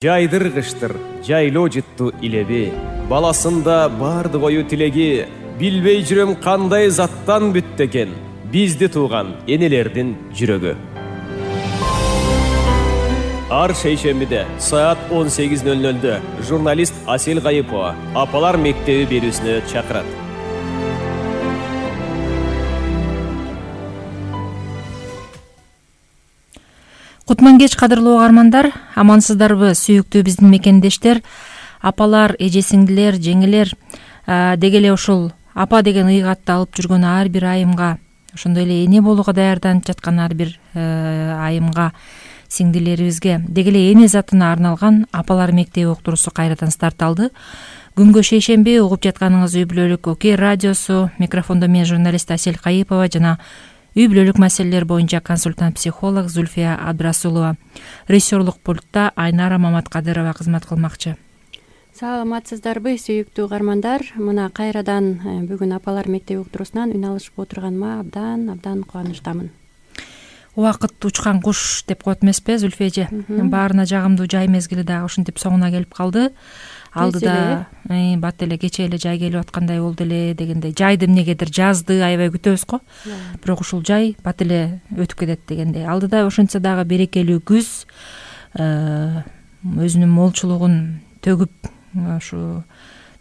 Жайдыр кыштыр, жайлоо жытту илеби, баласында барды кою тилеги, билбей жүрөм кандай заттан бүттү экен, бизди тууган энелердин жүрөгү. Ар шейшембиде саат 18:00 журналист Асел Кайыпова апалар мектеби берүүсүнө чакырат. Кутман кеч кадырлуу угармандар, амансыздарбы сүйүктүү биздин мекендештер, апалар, эже-сиңдилер, жеңелер, деги эле ушул апа деген ыйгатты алып жүргөн ар бир айымга, ошондой эле эне болууга даярданып жаткан ар бир айымга, сиңдилерибизге, деги эле эне затына арналган апалар мектеби уктуруусу кайрадан старт алды. Күнгө шейшемби угуп жатканыңыз үй бүлөлүк ОК радиосу, микрофондо мен журналист Асел Кайыпова жана үй бүлөлүк маселелер боюнча консультант-психолог Зульфия Абдрасулова. Режиссерлук пультта Айнара Маматкадырова кызмат кылмакчы. Саламатсыздарбы сүйүктүү угармандар, мына кайрадан бүгүн апалар мектеби уктуруусунан үн алышып отурганыма абдан кубанычтамын. Убакыт учкан куш деп коет эмеспи, Зульфия эже? Баарына жагымдуу жай мезгили дагы ушинтип соңуна келип калды. Алдыда бат эле кечээ эле жай келип аткандай болду эле дегендей. Жайды эмнегедир жазды аябай күтөбүз го. Бирок ушул жай бат эле өтүп кетет дегендей. Алдыда ошентсе дагы берекелүү күз өзүнүн молчулугун төгүп, ушу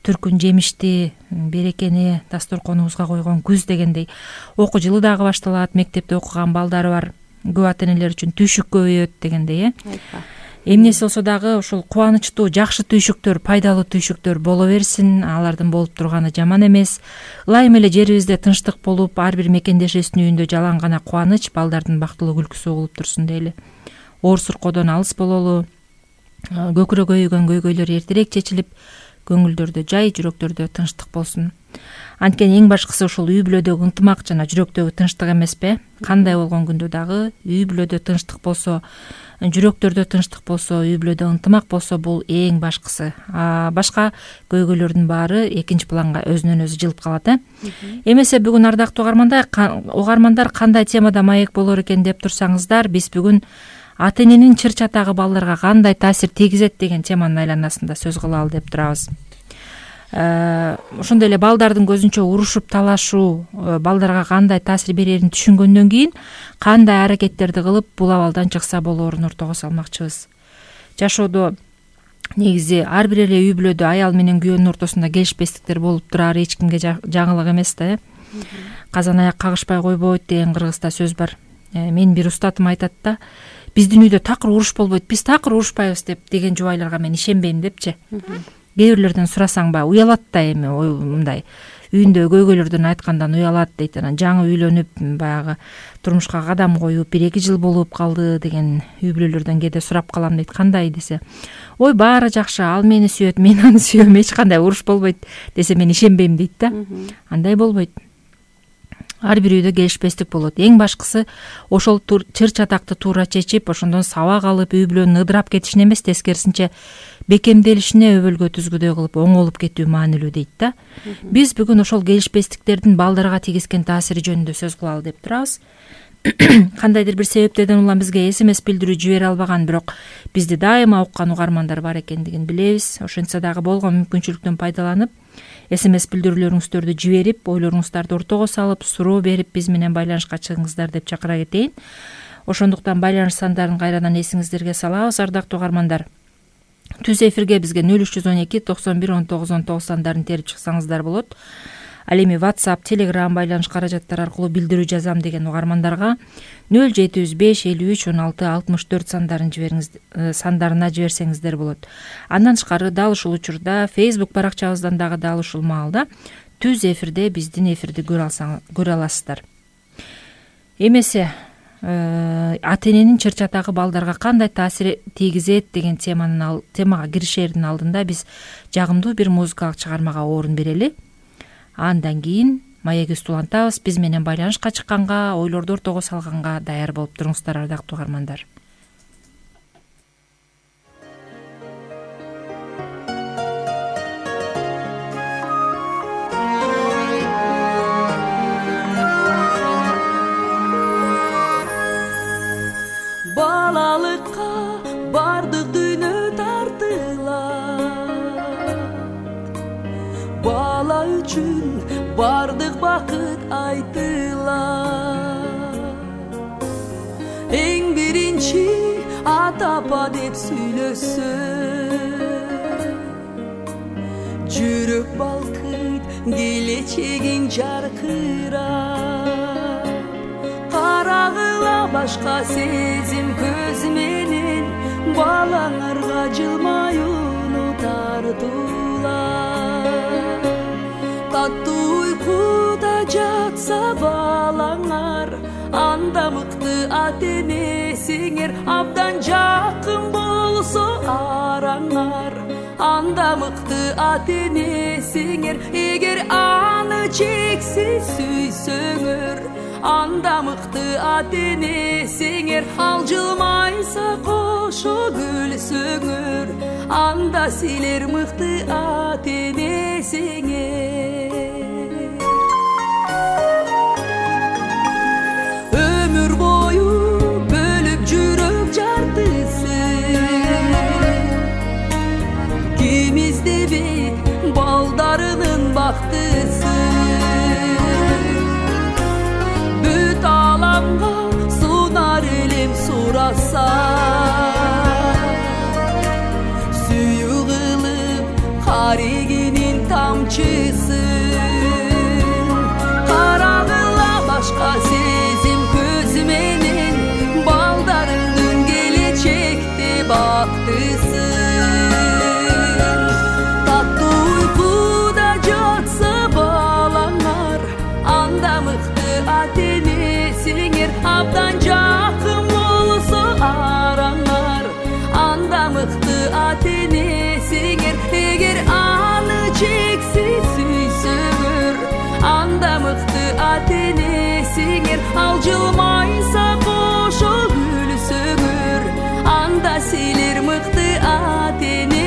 түркүн жемишти берекени дасторконубузга койгон күз дегендей. Окуу жылы дагы башталат, мектепте окуган балдары бар көп ата энелер үчүн түйшүк көбөйөт дегендей. Эмнеси болсо дагы ушул кубанычтуу, жакшы түйшүктөр, пайдалуу түйшүктөр боло берсин, алардын болуп турганы жаман эмес. Ылайым эле жерибизде тынчтык болуп, ар бир мекендешибиздин үйүндө жалаң гана кубаныч, балдардын бактылуу күлкүсү угулуп турсун дейли. Оор суркоодон алыс бололу, көкүрө көйгөн көйгөйлөр эртерээк чечилип, көңүлдөрдө жай, жүрөктөрдө тынчтык болсун. Анткени эң башкысы ушул үй бүлөдөгү ынтымак жана жүрөктөгү тынчтык эмеспи? Кандай болгон күндө дагы үй бүлөдө тынчтык болсо, жүрөктөрдө тынчтык болсо, үй бүлөдө ынтымак болсо, бул эң башкысы. Башка көйгөйлөрдүн баары экинчи планга өзүнөн өзү жылып калат. Эмесе бүгүн ардактуу угармандар кандай темада маек болор экен деп турсаңыздар, биз бүгүн ата эненин чыр чатагы балдарга кандай таасир тийгизет деген теманын айланасында сөз кылалы деп турабыз. Ошондой эле балдардын көзүнчө урушуп талашуу балдарга кандай таасир берерин түшүнгөндөн кийин кандай аракеттерди кылып бул абалдан чыкса болоорун ортого салмакчыбыз. Жашоодо негизи ар бир эле үй бүлөдө аял менен күйөөнүн ортосунда келишпестиктер болуп турар, эч кимге жаңылык эмес да. Казан аяк кагышпай койбойт деген кыргызда сөз бар. Менин бир устатым айтат да, биздин үйдө такыр уруш болбойт, биз такыр урушпайбыз деген жубайларга мен ишенбейм депчи. Кээ бирлерден сурасаң баягы уялат да, эми мындай үйүндө көйгөйлөрдөн айткандан уялат дейт. Анан жаңы үйлөнүп баягы турмушка кадам коюп 1-2 жыл болуп калды деген үй бүлөлөрдөн кээде сурап калам дейт. Кандай десе, ой баары жакшы, ал мени сүйөт, мен аны сүйөм, эч кандай уруш болбойт десе мен ишенбейм дейт да. Андай болбойт. Ар бир үйдө келишпестик болот. Эң башкысы ошол чыр чатакты туура чечип, ошондон сабак алып, үй бүлөнүн ыдырап кетишин эмес, тескерисинче бекемделишине өбөлгө түзгүдөй кылып оңолуп кетүү маанилүү дейт да. Биз бүгүн ошол келишпестиктердин балдарга тийгизген таасири жөнүндө сөз кылалы деп турабыз. Кандайдыр бир себептерден улам бизге СМС билдирүү жибере албаган, бирок бизди дайыма уккан угармандар бар экендигин билебиз. Ошентсе дагы болгон мүмкүнчүлүктөн пайдаланып, СМС билдирүүлөрүңүздөрдү жиберип, ойлоруңуздарды ортого салып, суроо берип биз менен байланышка чыгыңыздар деп чакыра кетейин. Ошондуктан байланыш сандарын кайрадан эсиңиздерге салабыз, ардактуу угармандар. Түз эфирге бизге 0312 91 19 19 сандарын терип чыксаңыздар болот. Ал эми WhatsApp, Telegram байланыш каражаттары аркылуу билдирүү жазам деген угармандарга 0705 53 16 64 сандарына жиберсеңиздер болот. Андан тышкары дал ушул учурда Facebook баракчабыздан дагы дал ушул маалда түз эфирде биздин эфирди көрө аласыздар. Эмесе ата эненин чыр чатагы балдарга кандай таасир тийгизет деген темага киришердин алдында биз жагымдуу бир музыкалык чыгармага орун берели. Андан кийин маегибизди улантабыз. Биз менен байланышка чыкканга, ойлорду ортого салганга даяр болуп туруңуздар, ардактуу угармандар. Балалыкка бардык дүйнө тарт үчүн бардык бакыт айтылат. Эң биринчи ата апа деп сүйлөсө жүрөк балкыйт, келечегиң жаркырап. Карагыла башка сезим көз менен, балаңарга жылмаюуну тартуулар. Таттуу уйкуда жатса балаңар, анда мыкты ата-энесиңер, абдан жакын болсо араңар, анда мыкты ата-энесиңер. Эгер аны чексиз сүйсөңөр, анда мыкты ата-энесиңер. Ал жылмайса кошо күлсөңөр, анда силер мыкты ата-энесиңер. Өмүр бою бөлүп жүрөк жартысын, ким издебейт балдарынын бактысын. Бүт аламга сунар элем сураса, сүйүү кылып карегинин тамчысын. Карагыла башка сезим көз менен, балдарыңдын келечекте бактысын. Таттуу уйкуда жатса балаңар, анда мыкты ата-энесиңер. Абдан жакын болсо араңар, анда мыкты ата-энесиңер. Эгер аны чексиз сүйсөңөр, анда мыкты ата-энесиңер. Ал жылмайса кошо күлсөңөр, анда силер мыкты ата-энесиңер.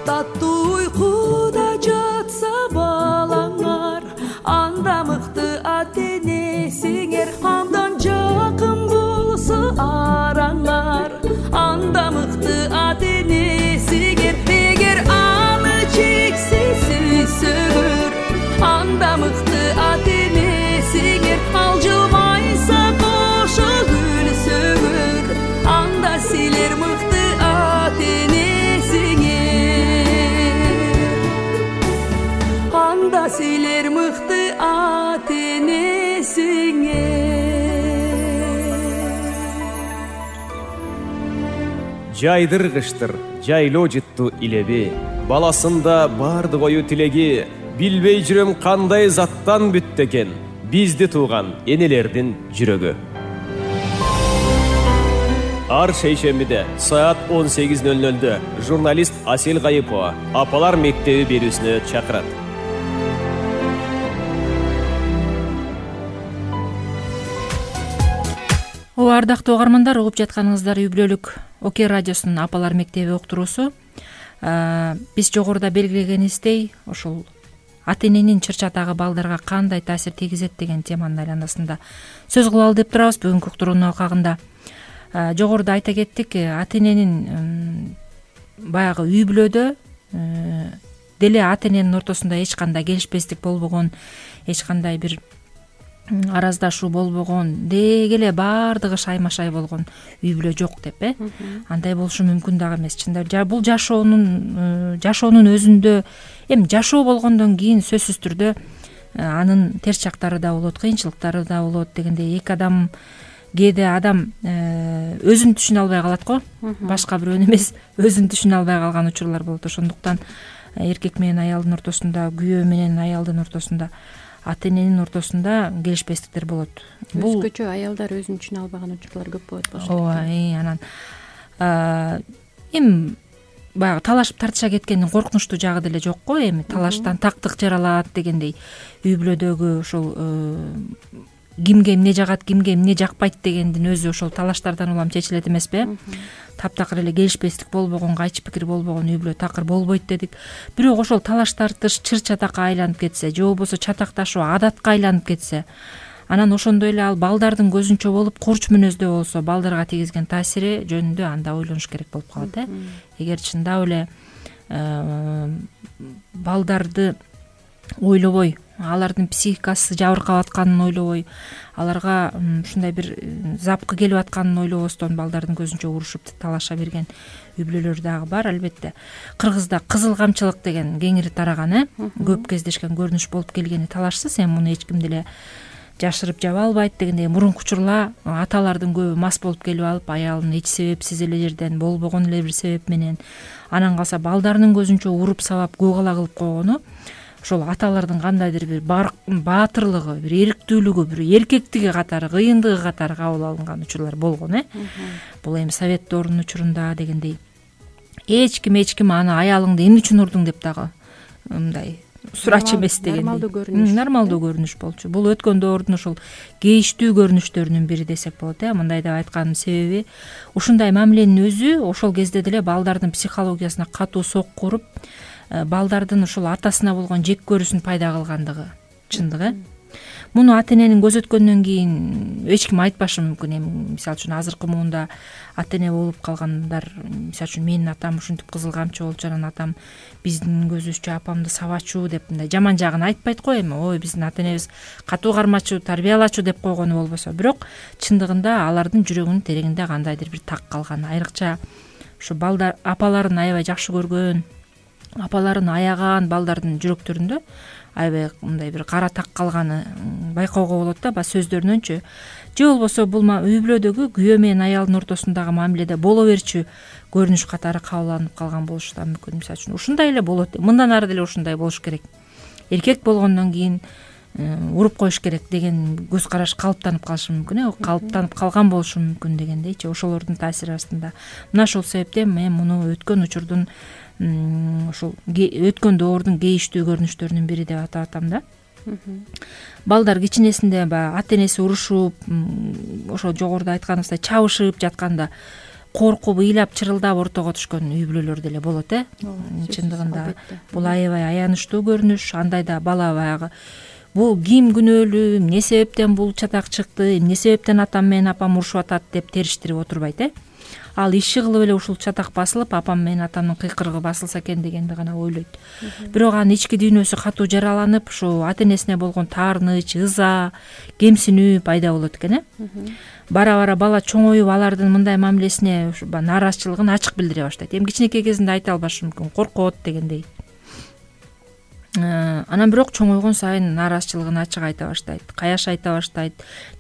Таттуу уйкуда жатса балаңар, анда мыкты ата-энесиңер. Абдан жакын болсо араңар, анда мыкты ата-энесиңер. Эгер аны чексиз сүйсөңөр, анда мыкты ата-энесиңер. Ал жылмайса кошо күлсөңөр, анда силер мыкты ата-энесиңер. Анда силер мыкты ата-энесиңер. Жайдыргыштыр, жайлоо жытту илеби, баласында бардык ою тилеги. Билбей жүрөм кандай заттан бүттү экен бизди тууган энелердин жүрөгү. Ар шейшембиде саат 18:00 журналист Асел Гайыпова Апалар мектеби берүүсүнө чакырат. Ардактуу угармандар, угуп жатканыңыздар үй бүлөлүк ОК радиосунун Апалар мектеби уктуруусу. Биз жогоруда белгилегенибиздей, ошол ата-эненин чыр-чатагы балдарга кандай таасир тийгизет деген теманын айланасында сөз кылалы деп турабыз бүгүнкү уктуруунун акагында. Жогоруда айта кеттик, ата-эненин баягы үй бүлөдө деле ата-эненин ортосунда эч кандай келишпестик болбогон, эч кандай бир араздашуу болбогон, деги эле баардыгы шайма-шай болгон үй бүлө жок деп, андай болушу мүмкүн дагы эмес. Чындап бул жашоонун өзүндө, эми жашоо болгондон кийин сөзсүз түрдө анын терс жактары да болот, кыйынчылыктары да болот дегендей. Эки адам, кээде адам өзүн түшүнө албай калат го, башка бирөөнү эмес, өзүн түшүнө албай калган учурлар болот. Ошондуктан эркек менен аялдын ортосунда, күйөө менен аялдын ортосунда, ата-эненин ортосунда келишпестиктер болот. Өзгөчө аялдар өзүн түшүнө албаган учурлар көп болот. Ооба, анан эми баягы талашып тартыша кеткендин коркунучтуу жагы деле жок го. Эми талаштан тактык жаралат дегендей, үй бүлөдөгү ушул кимге эмне жагат, кимге эмне жакпайт дегендин өзү ошол талаштардан улам чечилет эмеспи? Таптакыр эле келишпестик болбогон, кайчы пикир болбогон үй бүлө такыр болбойт дедик. Бирок ошол талаш тартыш чыр чатакка айланып кетсе же болбосо чатакташуу адатка айланып кетсе, анан ошондой эле ал балдардын көзүнчө болуп курч мүнөздө болсо балдарга тийгизген таасири жөнүндө анда ойлонуш керек болуп калат. Эгер чындап эле балдарды ойлобой, алардын психикасы жабыркап атканын ойлобой, аларга ушундай бир запкы келип атканын ойлобостон балдардын көзүнчө урушуп талаша берген үй бүлөлөр дагы бар. Албетте Кыргызда кызыл камчылык деген кеңири тараган, көп кездешкен көрүнүш болуп келгени талашсыз. Эми муну эч ким деле жашырып жаба албайт дегендей. Мурунку учурла аталардын көбү мас болуп келип алып, аялын эч себепсиз эле жерден, болбогон эле бир себеп менен, анан калса балдарынын көзүнчө уруп сабап көк-ала кылып койгону ошол аталардын кандайдыр бир баатырлыгы, бир эрктүүлүгү, бир эркектиги катары, кыйындыгы катары кабыл алынган учурлар болгон. Бул эми совет доорунун учурунда дегендей эч ким аны аялыңды эмне үчүн урдуң деп дагы мындай сурачу эмес дегендей нормалдуу көрүнүш болчу. Бул өткөн доордун ошол кейиштүү көрүнүштөрүнүн бири десек болот. Мындай деп айтканымдын себеби ушундай мамиленин өзү ошол кезде деле балдардын психологиясына катуу сокку уруп, балдардын ошол атасына болгон жек көрүүсүн пайда кылгандыгы чындык. Муну ата эненин көзөткөндөн кийин эч ким айтпашы мүмкүн. Эми мисалы үчүн азыркы муунда ата эне болуп калгандар, мисалы үчүн менин атам ушинтип кызыл камчы болчу, анан атам биздин көзүбүзчө апамды сабачу деп мындай жаман жагын айтпайт го. Эми ой биздин ата энебиз катуу кармачу, тарбиялачу деп койгону болбосо, бирок чындыгында алардын жүрөгүнүн тереңинде кандайдыр бир так калган. Айрыкча ушу балдар апаларын аябай жакшы көргөн, апаларын аяган балдардын жүрөктөрүндө аябай мындай бир кара так калганы байкоого болот да, баягы сөздөрүнөнчү. Же болбосо бул үй бүлөдөгү күйөө менен аялдын ортосундагы мамиледе боло берчү көрүнүш катары кабыл алынып калган болушу да мүмкүн. Мисалы үчүн ушундай эле болот, мындан ары деле ушундай болуш керек, эркек болгондон кийин уруп коюш керек деген көз караш калыптанып калышы мүмкүн, калыптанып калган болушу мүмкүн дегендейчи. Ошолордун таасири астында мына ошол себептен мен муну өткөн учурдун ошол өткөн доордун кейиштүү көрүнүштөрүнүн бири деп атап атам да. Балдар кичинесинде баягы ата энеси урушуп, ошо жогоруда айтканыбыздай чабышып жатканда коркуп, ыйлап, чырылдап ортого түшкөн үй бүлөлөр деле болот. Чындыгында бул аябай аянычтуу көрүнүш. Андайда бала баягы бул ким күнөөлүү, эмне себептен бул чатак чыкты, эмне себептен атам менен апам урушуп атат деп териштирип отурбайт. Ал иши кылып эле ушул чатак басылып, апам менен атамдын кыйкырыгы басылса экен дегенди гана ойлойт. Бирок анын ички дүйнөсү катуу жараланып, ушу ата энесине болгон таарыныч, ыза, кемсинүү пайда болот экен. Бара-бара бала чоңоюп, алардын мындай мамилесине нааразычылыгын ачык билдире баштайт. Эми кичинекей кезинде айта албашы мүмкүн, коркот дегендей. Анан бирок чоңойгон сайын нааразычылыгын ачык айта баштайт, каяш айта баштайт,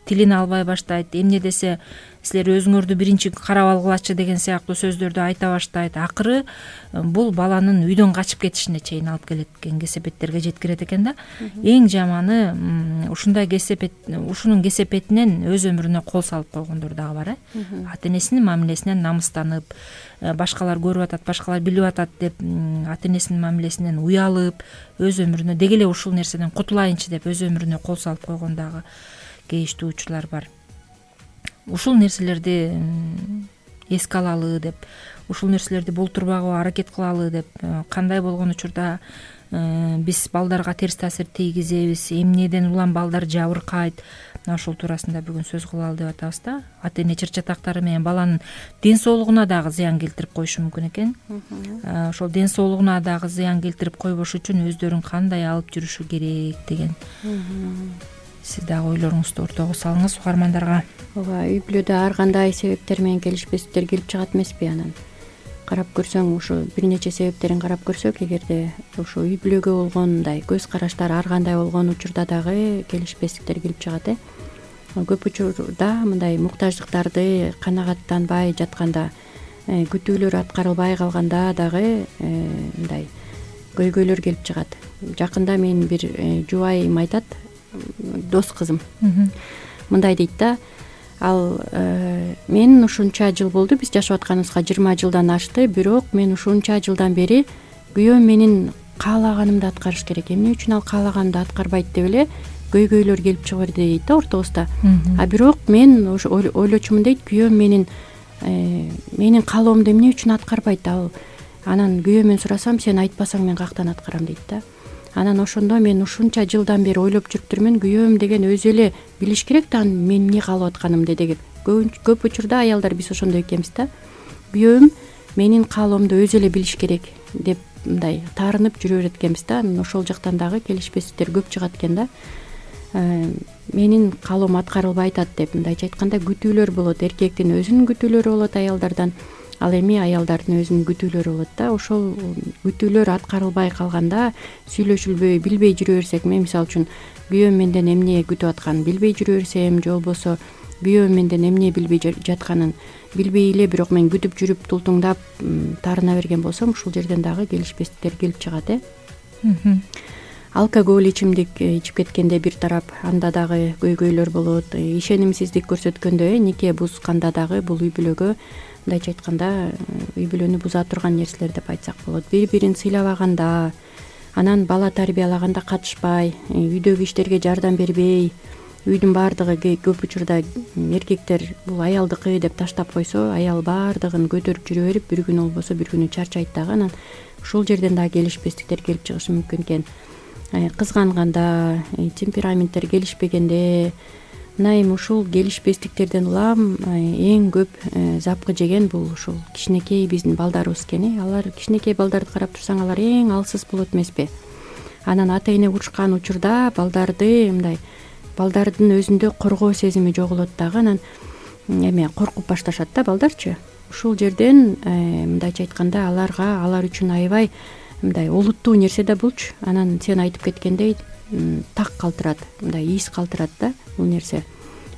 тилин албай баштайт. Эмне десе силер өзүңөрдү биринчи карап алгылачы деген сыяктуу сөздөрдү айта баштайт. Акыры бул баланын үйдөн качып кетишине чейин алып келет экен, кесепеттерге жеткирет экен да. Эң жаманы ушундай ушунун кесепетинен өз өмүрүнө кол салып койгондор дагы бар. Ата энесинин мамилесинен намыстанып, башкалар көрүп атат, башкалар билип атат деп ата энесинин мамилесинен уялып, өз өмүрүнө деги эле ушул нерседен кутулайынчы деп өз өмүрүнө кол салып койгон дагы кейиштүү учурлар бар. Ушул нерселерди эске алалы деп, ушул нерселерди болтурбагыга аракет кылалы деп, кандай болгон учурда биз балдарга терс таасир тийгизебиз, эмнеден улам балдар жабыркайт, мына ошол туурасында бүгүн сөз кылалы деп атабыз да. Ата эне чыр чатактары менен баланын ден соолугуна дагы зыян келтирип коюшу мүмкүн экен. Ошол ден соолугуна дагы зыян келтирип койбош үчүн өздөрүн кандай алып жүрүшү керек деген. Сиз дагы ойлоруңузду ортого салыңыз угармандарга. Ооба, үй бүлөдө ар кандай себептер менен келишпестиктер келип чыгат эмеспи? Анан карап көрсөң, ушу бир нече себептерин карап көрсөк, эгерде ушу үй бүлөгө болгон мындай көз караштар ар кандай болгон учурда дагы келишпестиктер келип чыгат. Көп учурда мындай муктаждыктарды канагаттанбай жатканда, күтүүлөр аткарылбай калганда дагы мындай көйгөйлөр келип чыгат. Жакында менин бир жубайым айтат, дос кызым мындай дейт да, ал мен ушунча жыл болду, биз жашап атканыбызга 20 жылдан ашты, бирок мен ушунча жылдан бери күйөөм менин каалаганымды аткарыш керек, эмне үчүн ал каалаганымды аткарбайт деп эле көйгөйлөр келип чыга берди дейт да ортобузда. А бирок мен ошо ойлочумун дейт, күйөөм менин каалоомду эмне үчүн аткарбайт ал. Анан күйөөмөн сурасам, сен айтпасаң мен каяктан аткарам дейт да. Анан ошондо мен ушунча жылдан бери ойлоп жүрүптүрмүн, күйөөм деген өзү эле билиш керек да мен эмне каалап атканымды деген. Көп учурда аялдар биз ошондой экенбиз да. Күйөөм менин каалоомду өзү эле билиш керек деп мындай таарынып жүрө берет экенбиз да. Ошол жактан дагы келишпестиктер көп чыгат экен да. Менин каалоом аткарылбай атат деп мындайча айтканда күтүүлөр болот. Эркектин өзүнүн күтүүлөрү болот аялдардан, ал эми аялдардын өзүнүн күтүүлөрү болот да. Ошол күтүүлөр аткарылбай калганда сүйлөшүлбөй, билбей жүрө берсек, мен мисалы үчүн күйөөм менден эмне күтүп атканын билбей жүрө берсем, же болбосо күйөөм менден эмне билбей жатканын билбей эле бирок мен күтүп жүрүп тултуңдап таарына берген болсом, ушул жерден дагы келишпестиктер келип чыгат. Алкоголь ичимдик ичип кеткенде бир тарап, анда дагы көйгөйлөр болот. Ишенимсиздик көрсөткөндө, нике бузганда дагы бул үй бүлөгө, мындайча айтканда, үй бүлөнү буза турган нерселер деп айтсак болот. Бири-бирин сыйлабаганда, анан бала тарбиялаганда катышпай, үйдөгү иштерге жардам бербей, үйдүн баардыгы көп учурда эркектер бул аялдыкы деп таштап койсо, аял баардыгын көтөрүп жүрө берип, бир күнү болбосо бир күнү чарчайт дагы. Анан ушул жерден дагы келишпестиктер келип чыгышы мүмкүн экен. Кызганганда, темпераменттер келишпегенде, мына эми ушул келишпестиктерден улам эң көп запкы жеген бул ушул кичинекей биздин балдарыбыз экен. Алар кичинекей балдарды карап турсаң, алар эң алсыз болот эмеспи? Анан ата эне урушкан учурда балдардын өзүндө коргоо сезими жоголот дагы. Анан эме коркуп башташат да балдарчы. Ушул жерден мындайча айтканда алар үчүн аябай мындай олуттуу нерсе да булчу. Анан сен айтып кеткендей так калтырат, мындай из калтырат да бул нерсе.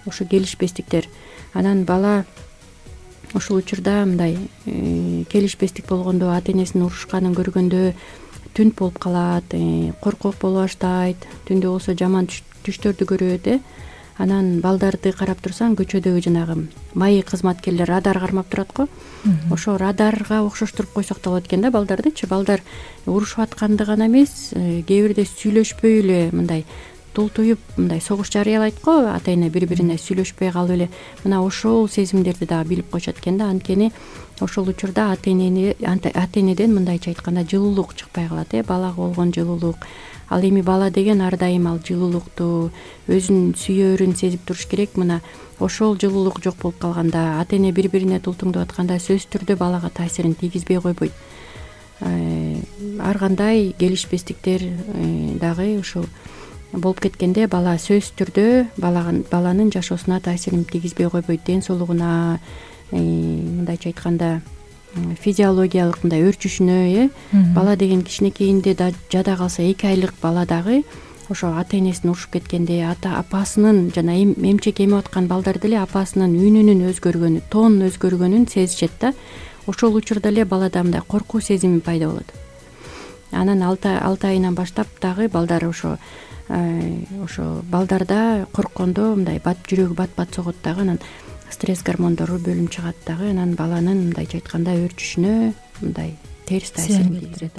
Ошо келишпестиктер. Анан бала ушул учурда мындай келишпестик болгондо, ата энесинин урушканын көргөндө түнт болуп калат, коркок боло баштайт, түндө болсо жаман түштөрдү көрөт. Анан балдарды карап турсаң, көчөдөгү жанагы майы кызматкерлер радар кармап турат го. Ошо радарга окшоштуруп койсок да болот экен да балдардычы. Балдар урушуп атканды гана эмес, кээ бирде сүйлөшпөй эле мындай тултуюп мындай согуш жарыялайт го. Ата эне бири-бирине сүйлөшпөй калып эле мына ошол сезимдерди дагы билип койшот экен да. Анткени ошол учурда ата энеден мындайча айтканда жылуулук чыкпай калат. Балага болгон жылуулук. Ал эми бала деген ар дайым ал жылуулукту, өзүн сүйөөрүн сезип туруш керек. Мына ошол жылуулук жок болуп калганда, ата эне бири-бирине тултуңдап атканда сөзсүз түрдө балага таасирин тийгизбей койбойт. Ар кандай келишпестиктер дагы ушул болуп кеткенде, бала сөзсүз түрдө баланын жашоосуна таасирин тийгизбей койбойт. Ден соолугуна, мындайча айтканда, физиологиялык мындай өрчүшүнө, бала деген кичинекейинде жада калса, 2 айлык бала дагы ошо ата энесин урушуп кеткенде, апасынын жана эмчек эме аткан балдар деле апасынын үнүнүн өзгөргөнү, тоонун өзгөргөнүн сезишет да. Ошол учурда эле балада мындай коркуу сезими пайда болот. Анан 6 айынан баштап дагы балдар ошо балдарда корккондо мындай жүрөгү бат согот дагы. Анан стресс гормондору бөлүнүп чыгат дагы. Анан баланын мындайча айтканда өрчүшүнө мындай терс таасирин тийгизет.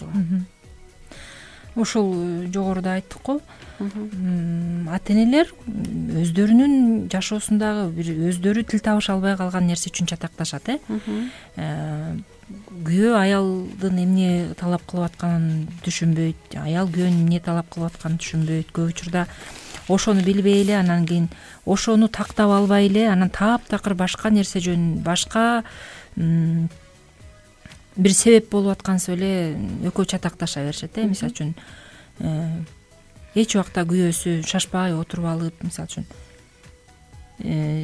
Ошол жогоруда айттык го. Ата энелер өздөрүнүн жашоосундагы бир өздөрү тил табыша албай калган нерсе үчүн чатакташат. Күйөө аялдын эмне талап кылып атканын түшүнбөйт, аял күйөөнүн эмне талап кылып атканын түшүнбөйт. Көп учурда ошону билбей эле, анан кийин ошону тактап албай эле, анан таптакыр башка нерсе жөнүндө, башка бир себеп болуп аткансып эле экөө чатакташа беришет. Мисалы үчүн эч убакта күйөөсү шашпай отуруп алып, мисалы үчүн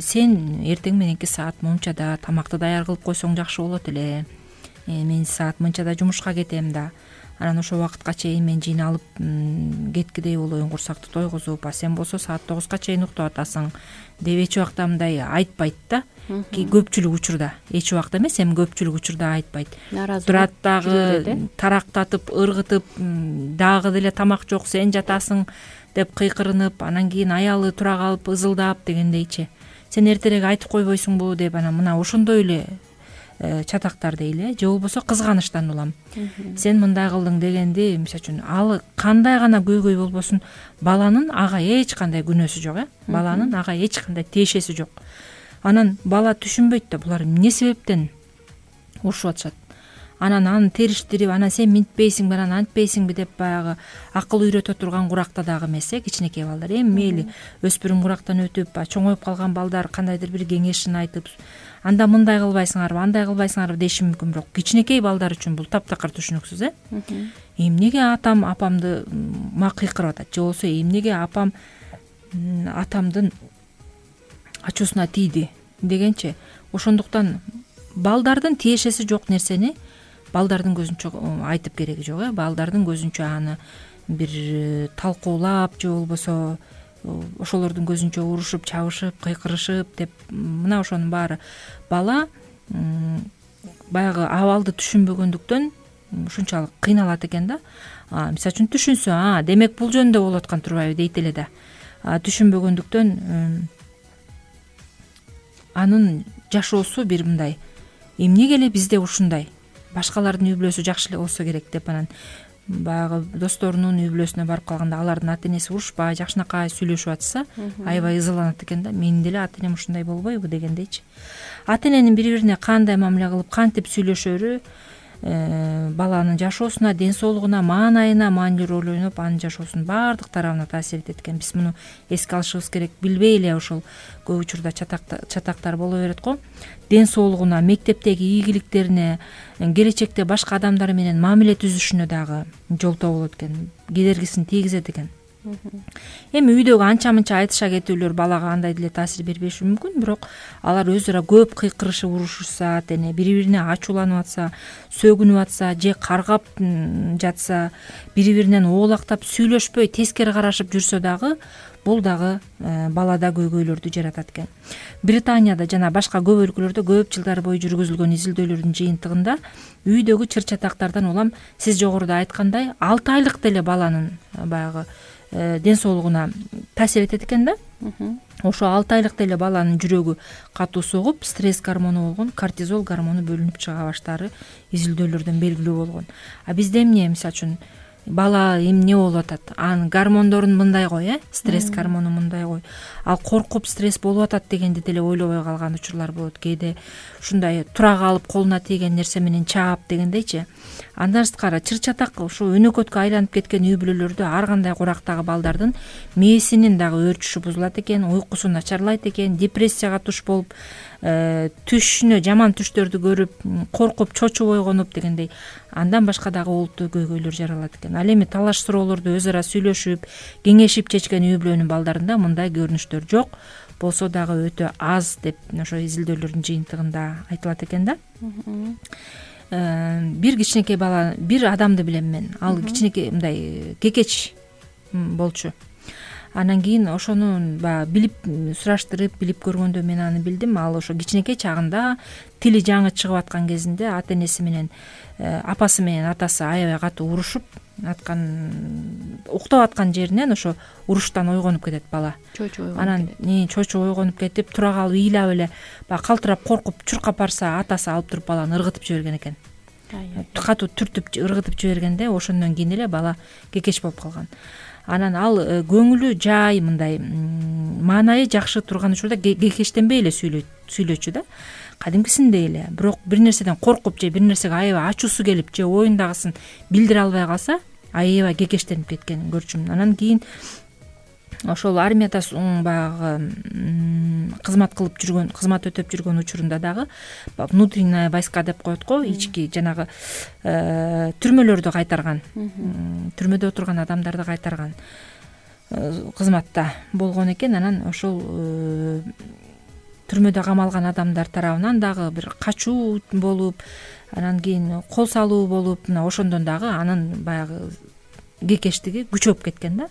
сен эртең мененки саат мончада тамакты даяр кылып койсоң жакшы болот эле. Мен саат мынчада жумушка кетем да. Анан ошол убакытка чейин мен жыйналып кеткидей болоюн, курсакты тойгузуп, а сен болсо саат 9га чейин уктап атасың деп эч убакта мындай айтпайт да. Көпчүлүк учурда, эч убакта эмес, эми көпчүлүк учурда айтпайт. Турат дагы тарактатып, ыргытып, дагы деле тамак жок, сен жатасың деп кыйкырынып, анан кийин аялы тура калып ызылдап дегендейчи. Сен эртерээк айтып койбойсуңбу деп, анан мына ошондой эле чатактар дейли, же болбосо кызганычтан улам. Сен мындай кылдың дегенди, мисалы үчүн ал кандай гана көйгөй болбосун, баланын ага эч кандай күнөөсү жок, баланын ага эч кандай тиешеси жок. Анан бала түшүнбөйт да булар эмне себептен урушуп атышат. Анан аны териштирип, анан сен минтпейсиңби, анан антпейсиңби деп баягы акыл үйрөтө турган куракта дагы эмес, кичинекей балдар. Эми мейли өспүрүм курактан өтүп, чоңоюп калган балдар кандайдыр бир кеңешин айтып, анда мындай кылбайсыңарбы, андай кылбайсыңарбы деши мүмкүн, бирок кичинекей балдар үчүн бул таптакыр түшүнүксүз. Эмнеге атам апамды кыйкырып атат, же болбосо эмнеге апам атамдын ачуусуна тийди дегенчи. Ошондуктан балдардын тиешеси жок нерсени балдардын көзүнчө айтып кереги жок. Балдардын көзүнчө аны бир талкуулап, же болбосо ошолордун көзүнчө урушуп, чабышып, кыйкырышып деп, мына ошонун баары бала баягы абалды түшүнбөгөндүктөн ушунчалык кыйналат экен да. Мисалы үчүн түшүнсө, демек бул жөнүндө болуп аткан турбайбы дейт эле да. Түшүнбөгөндүктөн анын жашоосу бир мындай, эмнеге эле бизде ушундай, башкалардын үй бүлөсү жакшы эле болсо керек деп, анан баягы досторунун үй бүлөсүнө барып калганда алардын ата энеси урушпай, жакшынакай сүйлөшүп атса, аябай ызаланат экен да. Менин деле ата энем ушундай болбойбу дегендейчи. Ата эненин бири бирине кандай мамиле кылып, кантип сүйлөшөрү баланын жашоосуна, ден соолугуна, маанайына маанилүү роль ойноп, анын жашоосунун баардык тарабына таасир этет экен. Биз муну эске алышыбыз керек. Билбей эле ошол көп учурда чатактар боло берет го. Ден соолугуна, мектептеги ийгиликтерине, келечекте башка адамдар менен мамиле түзүшүнө дагы жолтоо болот экен, кедергисин тийгизет экен. Эми үйдөгү анча-мынча айтыша кетүүлөр балага андай деле таасир бербеши мүмкүн, бирок алар өз ара көп кыйкырышып урушушса, атене бири бирине ачууланып атса, сөгүнүп атса, же каргап жатса, бири биринен оолактап сүйлөшпөй тескери карашып жүрсө дагы, бул дагы балада көйгөйлөрдү жаратат экен. Британияда жана башка көп өлкөлөрдө көп жылдар бою жүргүзүлгөн изилдөөлөрдүн жыйынтыгында үйдөгү чыр-чатактардан улам сиз жогоруда айткандай 6 айлык деле баланын баягы ден соолугуна таасир этет экен да. Ошо 6 айлык деле баланын жүрөгү катуу согуп, стресс гормону болгон кортизол гормону бөлүнүп чыга баштаары изилдөөлөрдөн белгилүү болгон. Бизде эмне, мисалы үчүн бала эмне болуп атат, анын гормондорун мындай кой, стресс гормону мындай кой, ал коркуп стресс болуп атат дегенди деле ойлобой калган учурлар болот. Кээде ушундай тура калып колуна тийген нерсе менен чаап дегендейчи. Андан сырткары чыр-чатак ушу өнөкөткө айланып кеткен үй бүлөлөрдө ар кандай курактагы балдардын мээсинин дагы өөрчүшү бузулат экен, уйкусу начарлайт экен, депрессияга туш болуп, түшүнө жаман түштөрдү көрүп, коркуп, чочуп ойгонуп дегендей, андан башка дагы олуттуу көйгөйлөр жаралат экен. Ал эми талаш суроолорду өз ара сүйлөшүп, кеңешип чечкен үй бүлөнүн балдарында мындай көрүнүштөр жок, болсо дагы өтө аз деп ошо изилдөөлөрдүн жыйынтыгында айтылат экен да. Бир кичинекей бала, бир адамды билем мен. Ал кичинекей мындай кекеч болчу. Анан кийин ошону билип сураштырып, билип көргөндө мен аны билдим. Ал ошо кичинекей чагында тили жаңы чыгып аткан кезинде ата энеси менен апасы менен атасы аябай катуу урушуп аткан, уктап аткан жеринен ошо уруштан ойгонуп кетет бала. Анан чочуп ойгонуп кетип, тура калып ыйлап эле баягы калтырап коркуп чуркап барса, атасы алып туруп баланы ыргытып жиберген экен. Катуу түртүп ыргытып жибергенде ошондон кийин эле бала кекеч болуп калган. Анан ал көңүлү жай, мындай маанайы жакшы турган учурда кекештенбей эле сүйлөчү да, кадимкисиндей эле. Бирок бир нерседен коркуп же бир нерсеге аябай ачуусу келип же оюндагысын билдире албай калса, аябай кекештенип кеткенин көрчүмүн. Анан кийин ошол армияда баягы кызмат өтөп жүргөн учурунда дагы внутренняя войска деп коет го, ички жанагы түрмөлөрдү кайтарган, түрмөдө отурган адамдарды кайтарган кызматта болгон экен. Анан ошол түрмөдө камалган адамдар тарабынан дагы бир качуу болуп, анан кийин кол салуу болуп, мына ошондон дагы анын баягы кекештиги күчөп кеткен да.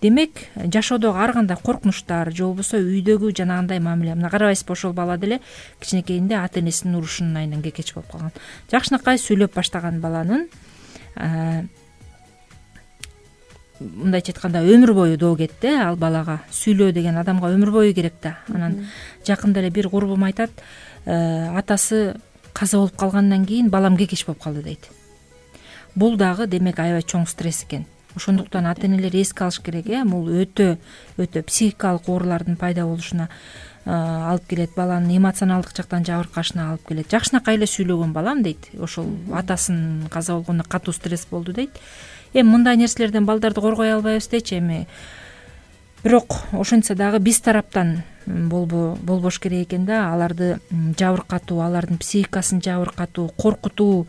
Демек, жашоодогу ар кандай коркунучтар же болбосо үйдөгү жанагындай мамиле, мына карабайсызбы, ошол бала деле кичинекейинде ата энесинин урушунун айынан кекеч болуп калган. Жакшынакай сүйлөп баштаган баланын мындайча айтканда өмүр бою доо кетти. Ал балага сүйлөө деген адамга өмүр бою керек да. Анан жакында эле бир курбум айтат, атасы каза болуп калгандан кийин балам кекеш болуп калды дейт. Бул дагы демек аябай чоң стресс экен. Ошондуктан ата энелер эске алыш керек. Бул өтө психикалык оорулардын пайда болушуна алып келет, баланын эмоционалдык жактан жабыркашына алып келет. Жакшынакай эле сүйлөгөн балам дейт, ошол атасын каза болгондо катуу стресс болду дейт. Эми мындай нерселерден балдарды коргой албайбыз дечи. Эми бирок ошентсе дагы биз тараптан болбош керек экен да, аларды жабыркатуу, алардын психикасын жабыркатуу, коркутуу,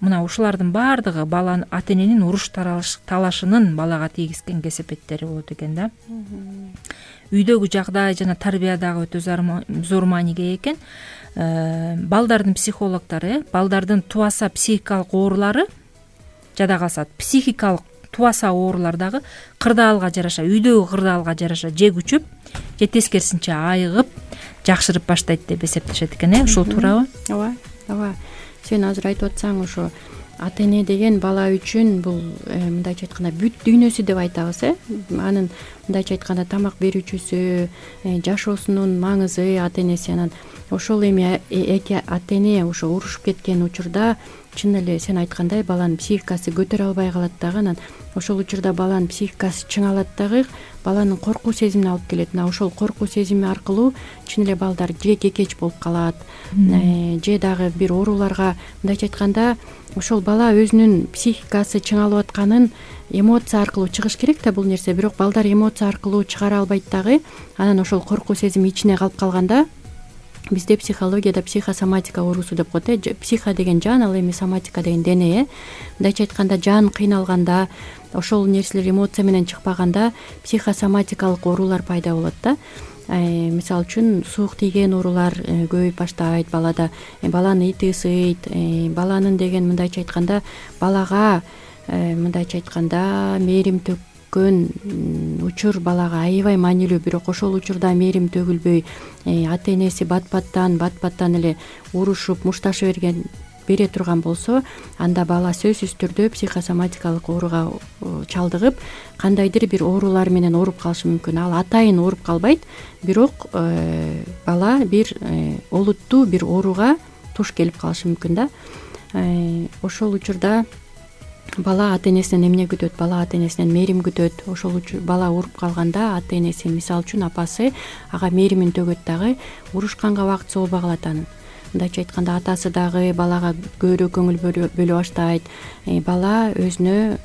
мына ушулардын баардыгы баланын ата эненин уруш талашынын балага тийгизген кесепеттери болот экен да. Үйдөгү жагдай жана тарбия дагы өтө зор мааниге экен. Балдардын психологдору балдардын тубаса психикалык оорулары жада калса психикалык тубаса оорулар дагы кырдаалга жараша, үйдөгү кырдаалга жараша же күчүп, же тескерисинче айыгып, жакшырып баштайт деп эсептешет экен. Ушул туурабы? Ооба. Сен азыр айтып атсаң, ошо ата эне деген бала үчүн бул мындайча айтканда бүт дүйнөсү деп айтабыз. Анын мындайча айтканда тамак берүүчүсү, жашоосунун маңызы ата энеси. Анан ошол эми эки ата эне ошо урушуп кеткен учурда чын эле сен айткандай баланын психикасы көтөрө албай калат дагы. Анан ошол учурда баланын психикасы чыңалат дагы, баланын коркуу сезимине алып келет. Мына ошол коркуу сезими аркылуу чын эле балдар же кекеч болуп калат, же дагы бир ооруларга, мындайча айтканда ошол бала өзүнүн психикасы чыңалып атканын эмоция аркылуу чыгыш керек да бул нерсе. Бирок балдар эмоция аркылуу чыгара албайт дагы. Анан ошол коркуу сезими ичине калып калганда бизде психологияда психосоматика оорусу деп коет. Психо деген жан, ал эми соматика деген дене. Мындайча айтканда жан кыйналганда, ошол нерселер эмоция менен чыкпаганда психосоматикалык оорулар пайда болот да. Мисалы үчүн суук тийген оорулар көбөйүп баштайт балада. Баланын ити ысыйт, баланын деген мындайча айтканда балага мындайча айтканда мээрим төккөн учур балага аябай маанилүү. Бирок ошол учурда мээрим төгүлбөй, ата энеси бат-баттан эле урушуп, мушташы бере турган болсо, анда бала сөзсүз түрдө психосоматикалык ооруга чалдыгып, кандайдыр бир оорулар менен ооруп калышы мүмкүн. Ал атайын ооруп калбайт, бирок бала бир олуттуу бир ооруга туш келип калышы мүмкүн да. Ошол учурда бала ата энесинен эмне күтөт? Бала ата энесинен мээрим күтөт. Ошол үчүн бала ооруп калганда ата энеси, мисалы үчүн апасы ага мээримин төгөт дагы, урушканга убакыт соолбой калат анын. Мындайча айтканда атасы дагы балага көбүрөөк көңүл бөлө баштайт. Бала өзүнө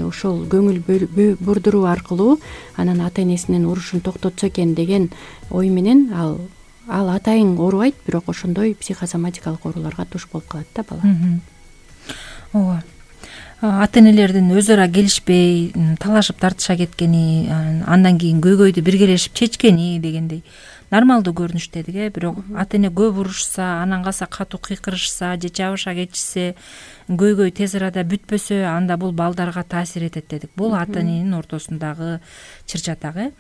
ошол көңүл бурдуруу аркылуу анан ата энесинин урушун токтотсо экен деген ой менен ал атайын оорубайт, бирок ошондой психосоматикалык ооруларга туш болуп калат да бала. Ооба. Ата энелердин өзү ара келишпей, талашып тартыша кеткени, андан кийин көйгөйдү биргелешип чечкени дегендей нормалдуу көрүнүш дедик. Бирок ата эне көп урушса, анан калса катуу кыйкырышса же жабыша кетишсе, көйгөй тез арада бүтпөсө, анда бул балдарга таасир этет дедик. Бул ата эненин ортосундагы чыр чатак.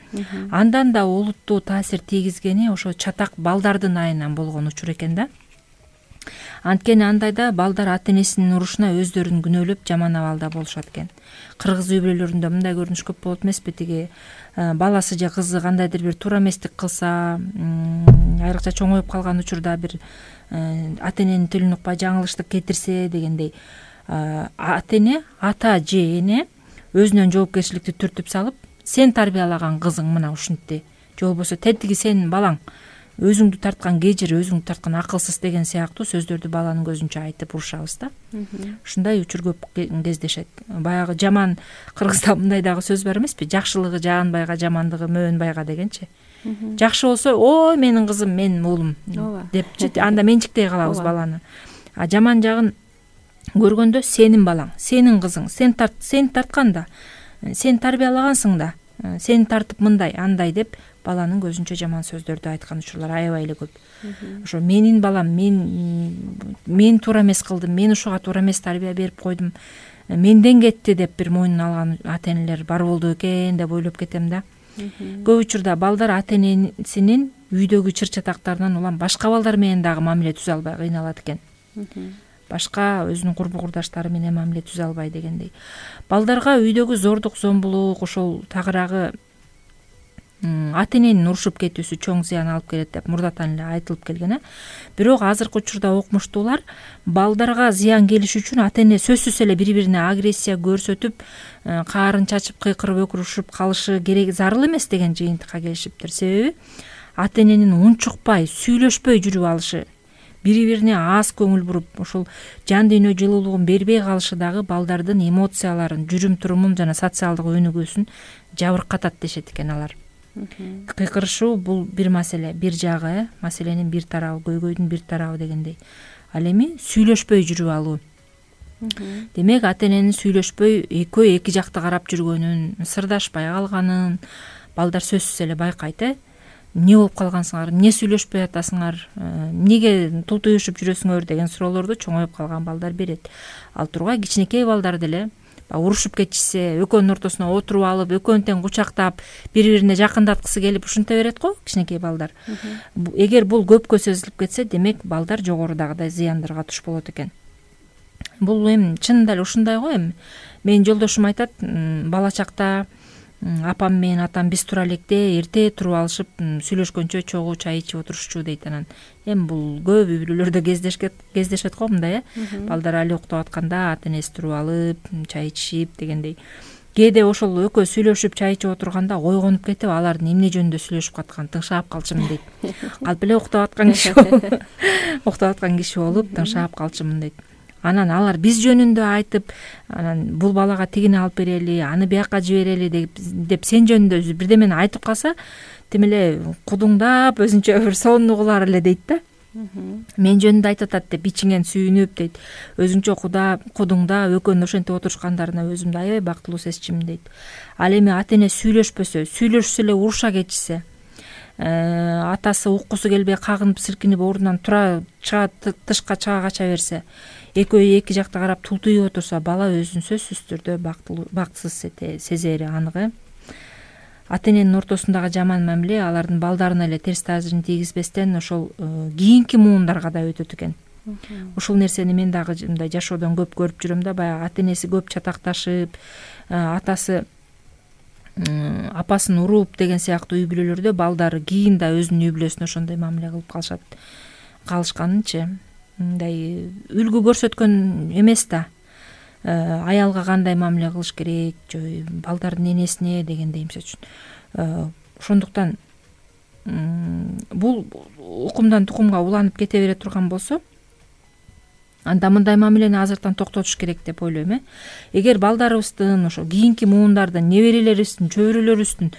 Андан да олуттуу таасир тийгизгени ошо чатак балдардын айынан болгон учур экен да. Анткени андайда балдар ата энесинин урушуна өздөрүн күнөөлөп жаман абалда болушат экен. Кыргыз үй бүлөлөрүндө мындай көрүнүш көп болот эмеспи? Тиги баласы же кызы кандайдыр бир туура эместик кылса, айрыкча чоңоюп калган учурда бир ата эненин тилин укпай жаңылыштык кетирсе дегендей, ата эне, ата же эне өзүнөн жоопкерчиликти түртүп салып, сен тарбиялаган кызың мына ушинтти, же болбосо тетиги сенин балаң, өзүңдү тарткан кежир, өзүңдү тарткан акылсыз деген сыяктуу сөздөрдү баланын көзүнчө айтып урушабыз да. Ушундай учур көп кездешет. Баягы жаман кыргызда мындай дагы сөз бар эмеспи? Жакшылыгы жаганбайга, жамандыгы мөөнбайга дегенчи. Жакшы болсо, ой менин кызым, менин уулум депчи, анда менчиктей калабыз баланы. А жаман жагын көргөндө сенин балаң, сенин кызың, сен тартканда, сен тарбиялагансың да, сени тартып мындай, андай деп баланын көзүнчө жаман сөздөрдү айткан учурлар аябай эле көп. Ошо менин балам, мен туура эмес кылдым, мен ушуга туура эмес тарбия берип койдум, менден кетти деп бир мойнуна алган ата энелер бар болду экен деп ойлоп кетем да. Көп учурда балдар ата энесинин үйдөгү чыр чатактарынан улам башка балдар менен дагы мамиле түзө албай кыйналат экен. Башка өзүнүн курбу курдаштары менен мамиле түзө албай дегендей. Балдарга үйдөгү зордук, зомбулук, ошол тагыраагы ата эненин урушуп кетүүсү чоң зыян алып келет деп мурдатан эле айтылып келген. Бирок азыркы учурда окумуштуулар балдарга зыян келиши үчүн ата эне сөзсүз эле бири бирине агрессия көрсөтүп, каарын чачып, кыйкырып өкүрүшүп калышы керек, зарыл эмес деген жыйынтыкка келишиптир. Себеби ата эненин унчукпай, сүйлөшпөй жүрүп алышы, бири бирине аз көңүл буруп, ошол жан дүйнө жылуулугун бербей калышы дагы балдардын эмоцияларын, жүрүм турумун жана социалдык өнүгүүсүн жабыркатат дешет экен алар. Кыйкырышуу бул бир маселе, бир жагы, маселенин бир тарабы, көйгөйдүн бир тарабы дегендей. Ал эми сүйлөшпөй жүрүп алуу. Демек ата эненин сүйлөшпөй экөө эки жакты карап жүргөнүн, сырдашпай калганын балдар сөзсүз эле байкайт. Эмне болуп калгансыңар, эмне сүйлөшпөй атасыңар, эмнеге тултуюшуп жүрөсүңөр деген суроолорду чоңоюп калган балдар берет. Ал тургай кичинекей балдар деле урушуп кетишсе, экөөнүн ортосуна отуруп алып, экөөнү тең кучактап, бири-бирине жакындаткысы келип ушунта берет го кичинекей балдар. Эгер бул көпкө созулуп кетсе, демек балдар жогорудагыдай зыяндарга туш болот экен. Бул эми чынында эле ушундай го эми. Менин жолдошум айтат, бала чакта апам менен атам биз тура электе эрте туруп алышып, сүйлөшкөнчө чогуу чай ичип отурушчу дейт. Анан эми бул көп үй бүлөлөрдө кездешет го мындай, балдар али уктап атканда ата энеси туруп алып, чай ичишип дегендей. Кээде ошол экөө сүйлөшүп чай ичип отурганда ойгонуп кетип, алардын эмне жөнүндө сүйлөшүп атканын тыңшап калчумун дейт. Калп эле уктап аткан киши болуп тыңшап калчумун дейт. Анан алар биз жөнүндө айтып, анан бул балага тигини алып берели, аны бияка жиберели деп сен жөнүндө бирдемени айтып калса, тим эле кудуңдап өзүнчө бир сонуну кылар эле дейт да. Мен жөнүндө айтып атат деп ичиңен сүйүнүп дейт. Өзүнчө кудуңдап экөөнүн ошентип отурушкандарына өзүмдү аябай бактылуу сезчүмүн дейт. Ал эми ата эне сүйлөшпөсө, сүйлөшсө эле уруша кетишсе, атасы уккусу келбей кагынып силкинип ордунан тура тышка чыга кача берсе, экөө эки жакта карап тултуюп отурса, бала өзүн сөзсүз түрдө бактысыз сезери анык. Ата эненин ортосундагы жаман мамиле алардын балдарына эле терс таасирин тийгизбестен ошол кийинки муундарга да өтөт экен. Ушул нерсени мен дагы мындай жашоодон көп көрүп жүрөм да, баягы ата энеси көп чатакташып, атасы апасын уруп деген сыяктуу үй бүлөлөрдө балдары кийин да өзүнүн үй бүлөсүнө ошондой мамиле кылып калышканынчы мындай үлгү көрсөткөн эмес да. Аялга кандай мамиле кылыш керек, балдардын энесине дегендей эмсе үчүн. Ошондуктан бул укумдан тукумга уланып кете бере турган болсо, анда мындай мамилени азыртан токтотуш керек деп ойлойм. Эгер балдарыбыздын, ошо кийинки муундардын, неберелерибиздин, чөбүрөлөрүбүздүн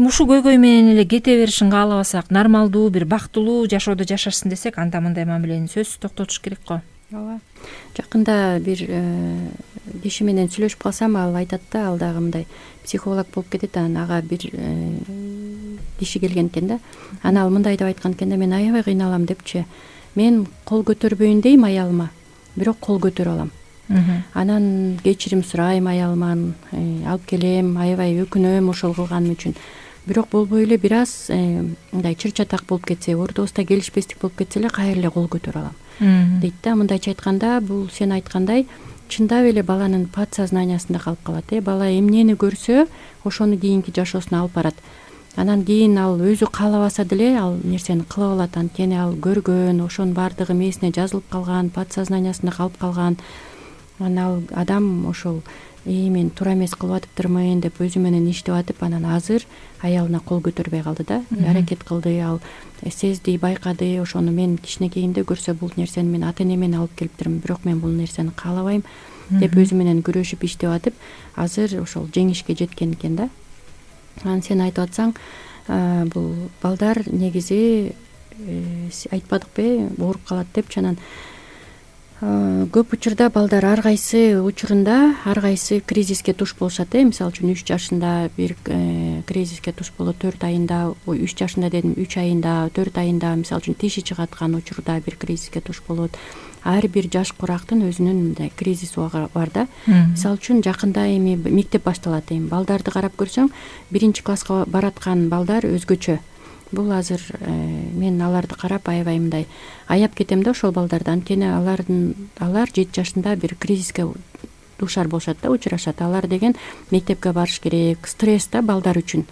ушу көйгөй менен эле кете беришин каалабасак, нормалдуу бир бактылуу жашоодо жашашсын десек, анда мындай мамилени сөзсүз токтотуш керек го. Ооба. Жакында бир киши менен сүйлөшүп калсам, ал айтат да, ал дагы мындай психолог болуп кетет. Анан ага бир киши келген экен да. Анан ал мындай деп айткан экен да, мен аябай кыйналам депчи. Мен кол көтөрбөйүн дейм аялыма, бирок кол көтөрө алам. Анан кечирим сурайм аялыман, алып келем, аябай өкүнөм ошол кылганым үчүн. Бирок болбой эле бир аз мындай чыр-чатак болуп кетсе, ордубузда келишпестик болуп кетсе эле кайра эле кол көтөрө алам дейт да. Мындайча айтканда, бул сен айткандай чындап эле баланын подсознаниясында калып калат. Бала эмнени көрсө, ошону кийинки жашоосуна алып барат. Анан кийин ал өзү каалабаса деле ал нерсени кылып алат. Анткени ал көргөн, ошонун баардыгы мээсине жазылып калган, подсознаниясында калып калган. Анан ал адам ошол мен туура эмес кылып атыптырмын деп өзү менен иштеп атып, анан азыр аялына кол көтөрбөй калды да. Аракет кылды, ал сезди, байкады, ошону мен кичинекейимде көрсө бул нерсени мен ата энемен алып келиптирмин, бирок мен бул нерсени каалабайм деп өзү менен күрөшүп иштеп атып, азыр ошол жеңишке жеткен экен да. Анан сен айтып атсаң, бул балдар негизи айтпадыкпы, ооруп калат депчи. Анан көп учурда балдар ар кайсы учурунда ар кайсы кризиске туш болушат. Мисалы үчүн 3 жашында бир кризиске туш болот, 4 айында, 3 жашында дедим, 3 айында, 4 айында, мисалы үчүн тиши чыгаткан учурда бир кризиске туш болот. Ар бир жаш курактын өзүнүн мындай кризис бар да. Мисалы үчүн жакында эми мектеп башталат. Балдарды карап көрсөң, 1-класска бараткан балдар өзгөчө. Бул азыр мен аларды карап аябай мындай аяп кетем да ошол балдарды. Анткени алар 7 жашында бир кризиске дуушар болушат да, учурашат. Алар деген мектепке барыш керек, стресс да балдар үчүн.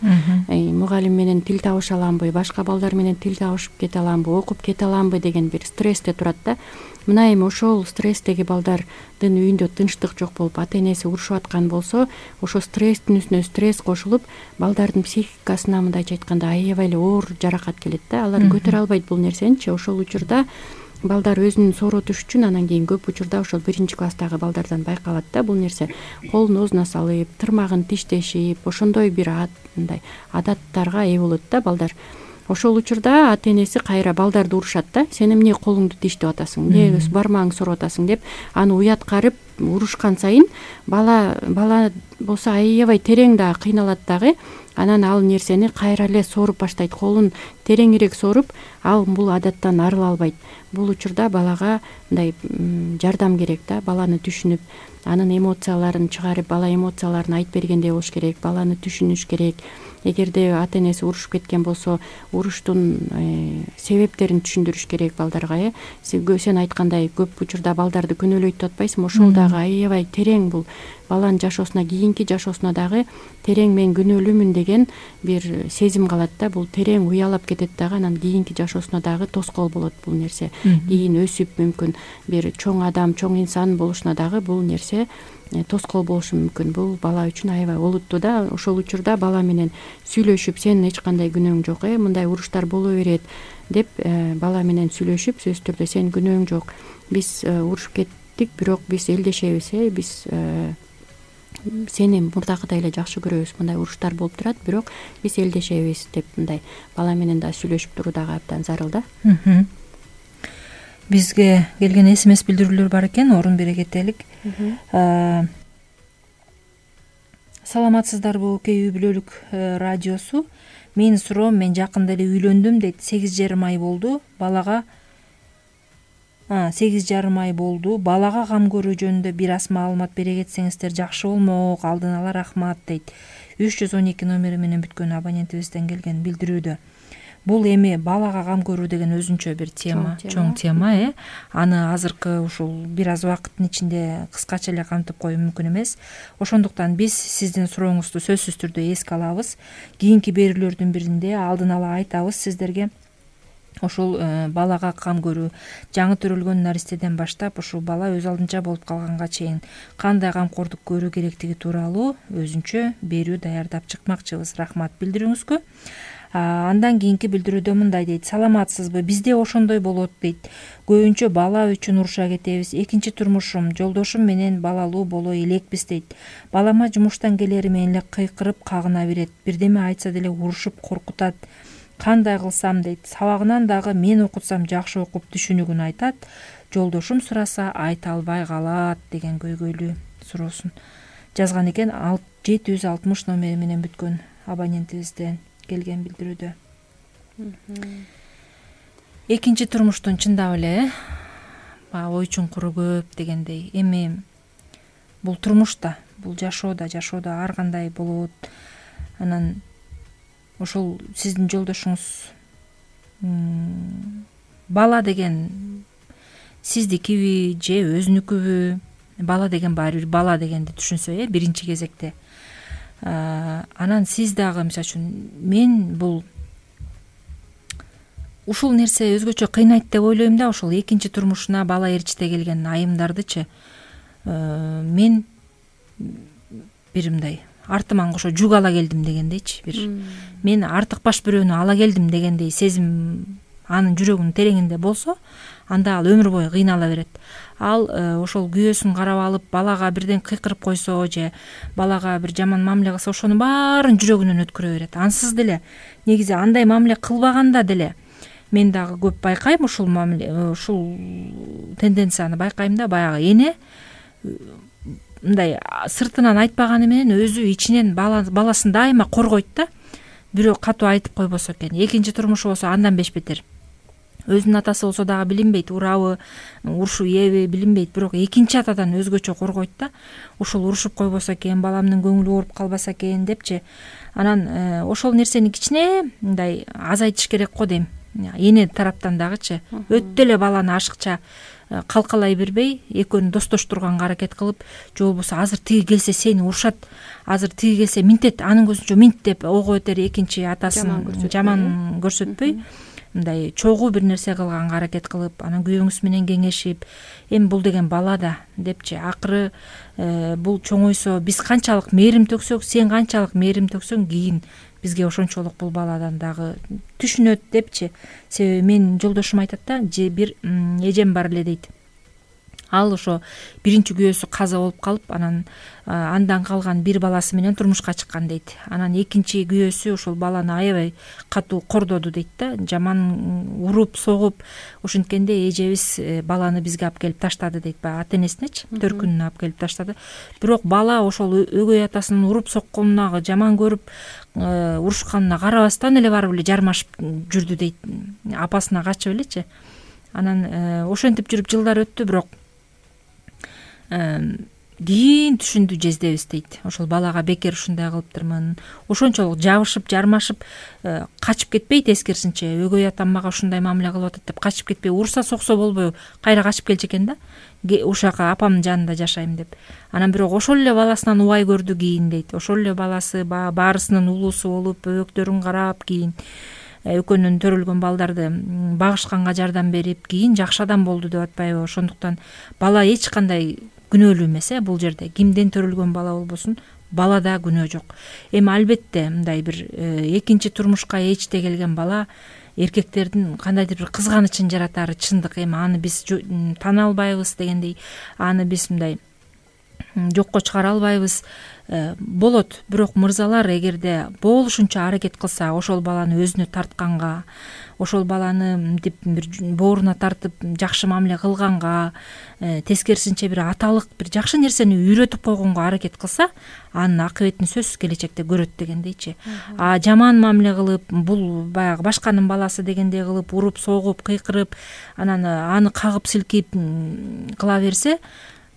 Мугалим менен тил табыша аламбы, башка балдар менен тил табышып кете аламбы, окуп кете аламбы деген бир стрессте турат да. Мына эми ошол стресстеги балдардын үйүндө тынчтык жок болуп, ата энеси урушуп аткан болсо, ошо стресстин үстүнө стресс кошулуп, балдардын психикасына мындайча айтканда аябай эле оор жаракат келет да. Алар көтөрө албайт бул нерсеничи. Ошол учурда балдар өзүн сооротуш үчүн анан кийин көп учурда ошол 1-класстагы балдардан байкалат да бул нерсе. Колун оозуна салып, тырмагын тиштешип, ошондой бир мындай адаттарга ээ болот да балдар. Ошол учурда ата энеси кайра балдарды урушат да. Сен эмне колуңду тиштеп атасың, эмне бармагыңды сороп атасың деп аны уяткарып урушкан сайын бала болсо аябай терең дагы кыйналат дагы. Анан ал нерсени кайра эле соруп баштайт. Колун тереңирээк соруп, ал бул адаттан арыла албайт. Бул учурда балага мындай жардам керек да. Баланы түшүнүп, анын эмоцияларын чыгарып, бала эмоцияларын айтып бергендей болуш керек. Баланы түшүнүш керек. Эгерде ата энеси урушуп кеткен болсо, уруштун себептерин түшүндүрүш керек балдарга. Сен айткандай көп учурда балдарды күнөөлөйт деп атпайсыңбы? Ошол дагы аябай терең, бул баланын жашоосуна, кийинки жашоосуна дагы терең мен күнөөлүүмүн деген бир сезим калат да. Бул терең уялап кетет дагы, анан кийинки жашоосуна дагы тоскоол болот бул нерсе. Кийин өсүп мүмкүн бир чоң адам, чоң инсан болушуна дагы бул нерсе тоскоол болушу мүмкүн. Бул бала үчүн аябай олуттуу да. Ошол учурда бала менен сүйлөшүп, сенин эч кандай күнөөң жок, мындай уруштар боло берет деп бала менен сүйлөшүп, сөзсүз түрдө сенин күнөөң жок, биз урушуп кеттик, бирок биз элдешебиз, биз сени мурдакыдай эле жакшы көрөбүз, мындай уруштар болуп турат, бирок биз элдешебиз деп мындай бала менен да сүйлөшүп туруу дагы абдан зарыл да. Бизге келген SMS билдирүүлөр бар экен, орун бере кетелик. Саламатсыздарбы, үй бүлөлүк радиосу. Менин суроом, мен жакында эле үйлөндүм дейт. 8,5 ай болду. Балага 8,5 ай болду. Балага кам көрүү жөнүндө бир аз маалымат бере кетсеңиздер жакшы болмок. Алдын ала рахмат дейт. 312 номери менен бүткөн абонентибизден келген билдирүүдө. Бул эми балага кам көрүү деген өзүнчө бир тема, чоң тема. Аны азыркы ушул бир аз убакыттын ичинде кыскача эле камтып коюу мүмкүн эмес. Ошондуктан биз сиздин сурооңузду сөзсүз түрдө эске алабыз. Кийинки берүүлөрдүн биринде алдын ала айтабыз сиздерге. Ошол балага кам көрүү, жаңы төрөлгөн наристеден баштап ушул бала өз алдынча болуп калганга чейин кандай камкордук көрүү керектиги тууралуу өзүнчө берүү даярдап чыкмакчыбыз. Рахмат билдирүүңүзгө. Андан кийинки билдирүүдө мындай дейт: саламатсызбы, бизде ошондой болот дейт. Көбүнчө бала үчүн уруша кетебиз. Экинчи турмушум, жолдошум менен балалуу боло элекпиз дейт. Балама жумуштан келери менен эле кыйкырып кагына берет. Бирдеме айтса деле урушуп коркутат. Кандай кылсам дейт. Сабагынан дагы мен окутсам жакшы окуп түшүнүгүн айтат. Жолдошум сураса айта албай калат деген көйгөйлүү суроосун жазган экен. 760 номери менен бүткөн абонентибизден келген билдирүүдө. Экинчи турмуштун чындап эле ой чуңкуру көп дегендей. Эми бул турмушта, бул жашоодо ар кандай болот. Анан ошол сиздин жолдошуңуз бала деген сиздикиби же өзүнүкүбү? Бала деген баары бир бала дегенди түшүнсө, биринчи кезекте. Анан сиз дагы, мисалы үчүн, мен бул ушул нерсе өзгөчө кыйнайт деп ойлойм да. Ошол экинчи турмушуна бала ээрчите келген айымдардычы мен бир мындай артыман кошо жүк ала келдим дегендейчи, бир мен артыкбаш бирөөнү ала келдим дегендей сезим анын жүрөгүнүн тереңинде болсо, анда ал өмүр бою кыйнала берет. Ал ошол күйөөсүн карап алып, балага бирден кыйкырып койсо же балага бир жаман мамиле кылса, ошонун баарын жүрөгүнөн өткөрө берет. Ансыз деле негизи андай мамиле кылбаганда деле мен дагы көп байкайм ушул мамиле, ушул тенденцияны байкайм да. Баягы эне мындай сыртынан айтпаганы менен өзү ичинен баласын дайыма коргойт да. Бирөө катуу айтып койбосо экен. Экинчи турмушу болсо андан бешбетер. Өзүнүн атасы болсо дагы билинбейт, урабы, урушуп ийеби билинбейт, бирок экинчи атадан өзгөчө коргойт да. Ушул урушуп койбосо экен, баламдын көңүлү ооруп калбаса экен депчи. Анан ошол нерсени кичине мындай азайтыш керек го дейм. Эне тараптан дагычы өтө эле баланы ашыкча калкалай бербей экөөнү достоштурганга аракет кылып, же болбосо азыр тиги келсе сени урушат, азыр тиги келсе минтет, анын көзүнчө минт деп ого бетер экинчи атасын жаман көрсөтпөй, мындай чогуу бир нерсе кылганга аракет кылып, анан күйөөңүз менен кеңешип, эми бул деген бала да депчи, акыры бул чоңойсо биз канчалык мээрим төксөк, сен канчалык мээрим төксөң, кийин бизге ошончолук бул баладан дагы түшүнөт депчи. Себеби менин жолдошум айтат да, бир эжем бар эле дейт. Ал ошо биринчи күйөөсү каза болуп калып, анан андан калган бир баласы менен турмушка чыккан дейт. Анан экинчи күйөөсү ошол баланы аябай катуу кордоду дейт да, жаман уруп, согуп. Ошенткенде эжебиз баланы бизге алып келип таштады дейт, баягы ата энесинечи, төркүнүнө алып келип таштады. Бирок бала ошол өгөй атасынын уруп сокконуна, жаман көрүп урушканына карабастан эле барып эле жармашып жүрдү дейт, апасына качып элечи. Анан ошентип жүрүп жылдар өттү, бирок кийин түшүндү жездебиз дейт. Ошол балага бекер ушундай кылыптырмын. Ошончолук жабышып, жармашып качып кетпей, тескерисинче өгөй атам мага ушундай мамиле кылып атат деп качып кетпей, урса соксо болбой кайра качып келчү экен да. Ушака апамдын жанында жашайм деп. Анан бирок ошол эле баласынан убай көрдү кийин дейт. Ошол эле баласы баарысынын улуусу болуп, бөбөктөрүн карап, кийин экөөнүн төрөлгөн балдарды багышканга жардам берип, кийин жакшы адам болду деп атпайбы. Ошондуктан бала эч кандай күнөөлүү эмес, бул жерде кимден төрөлгөн бала болбосун, балада күнөө жок. Эми албетте мындай бир экинчи турмушка эчте келген бала эркектердин кандайдыр бир кызганычын жаратары чындык. Эми аны биз тана албайбыз дегендей, аны биз мындай жокко чыгара албайбыз. Болот, бирок мырзалар эгерде болушунча аракет кылса, ошол баланы өзүнө тартканга, ошол баланы мынтип бир бооруна тартып жакшы мамиле кылганга, тескерисинче бир аталык бир жакшы нерсени үйрөтүп койгонго аракет кылса, анын акыбетин сөзсүз келечекте көрөт дегендейчи. А жаман мамиле кылып, бул баягы башканын баласы дегендей кылып, уруп, согуп, кыйкырып, анан аны кагып силкип кыла берсе,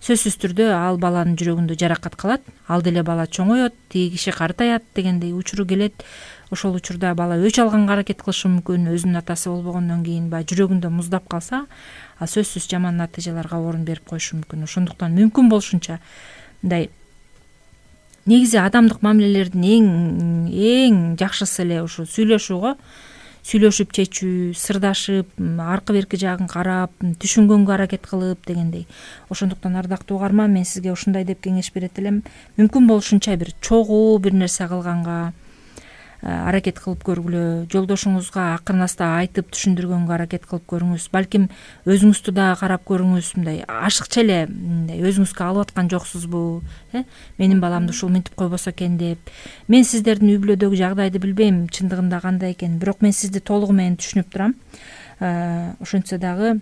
сөзсүз түрдө ал баланын жүрөгүндө жаракат калат. Ал деле бала чоңоет, тиги киши картаят дегендей учуру келет. Ошол учурда бала өч алганга аракет кылышы мүмкүн, өзүнүн атасы болбогондон кийин баягы жүрөгүндө муздап калса, ал сөзсүз жаман натыйжаларга орун берип коюшу мүмкүн. Ошондуктан мүмкүн болушунча мындай негизи адамдык мамилелердин эң жакшысы эле ушу сүйлөшүү го. Сүйлөшүп чечүү, сырдашып, аркы берки жагын карап, түшүнгөнгө аракет кылып дегендей. Ошондуктан ардактуу угарман, мен сизге ушундай деп кеңеш берет элем. Мүмкүн болушунча бир чогуу бир нерсе кылганга аракет кылып көргүлө, жолдошуңузга акырын аста айтып түшүндүргөнгө аракет кылып көрүңүз. Балким өзүңүздү дагы карап көрүңүз, мындай ашыкча эле мындай өзүңүзгө алып аткан жоксузбу, менин баламды ушул минтип койбосо экен деп. Мен сиздердин үй бүлөдөгү жагдайды билбейм, чындыгында кандай экен, бирок мен сизди толугу менен түшүнүп турам. Ошентсе дагы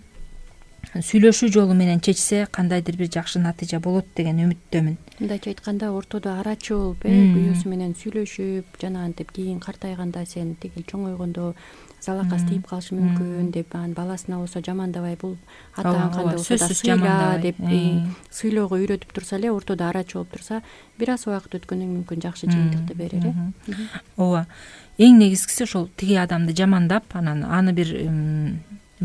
сүйлөшүү жолу менен чечсе, кандайдыр бир жакшы натыйжа болот деген үмүттөмүн. Мындайча айтканда, ортодо арачы болуп, күйөөсү менен сүйлөшүп, жанагынтип кийин картайганда сен тиги чоңойгондо залакасы тийип калышы мүмкүн деп, анан баласына болсо жамандабай, бул атаң кандай болсо да сыйла деп сыйлоого үйрөтүп турса эле, ортодо арачы болуп турса, бир аз убакыт өткөндөн мүмкүн жакшы жыйынтыкты берер. Ооба. Эң негизгиси ошол тиги адамды жамандап, анан аны бир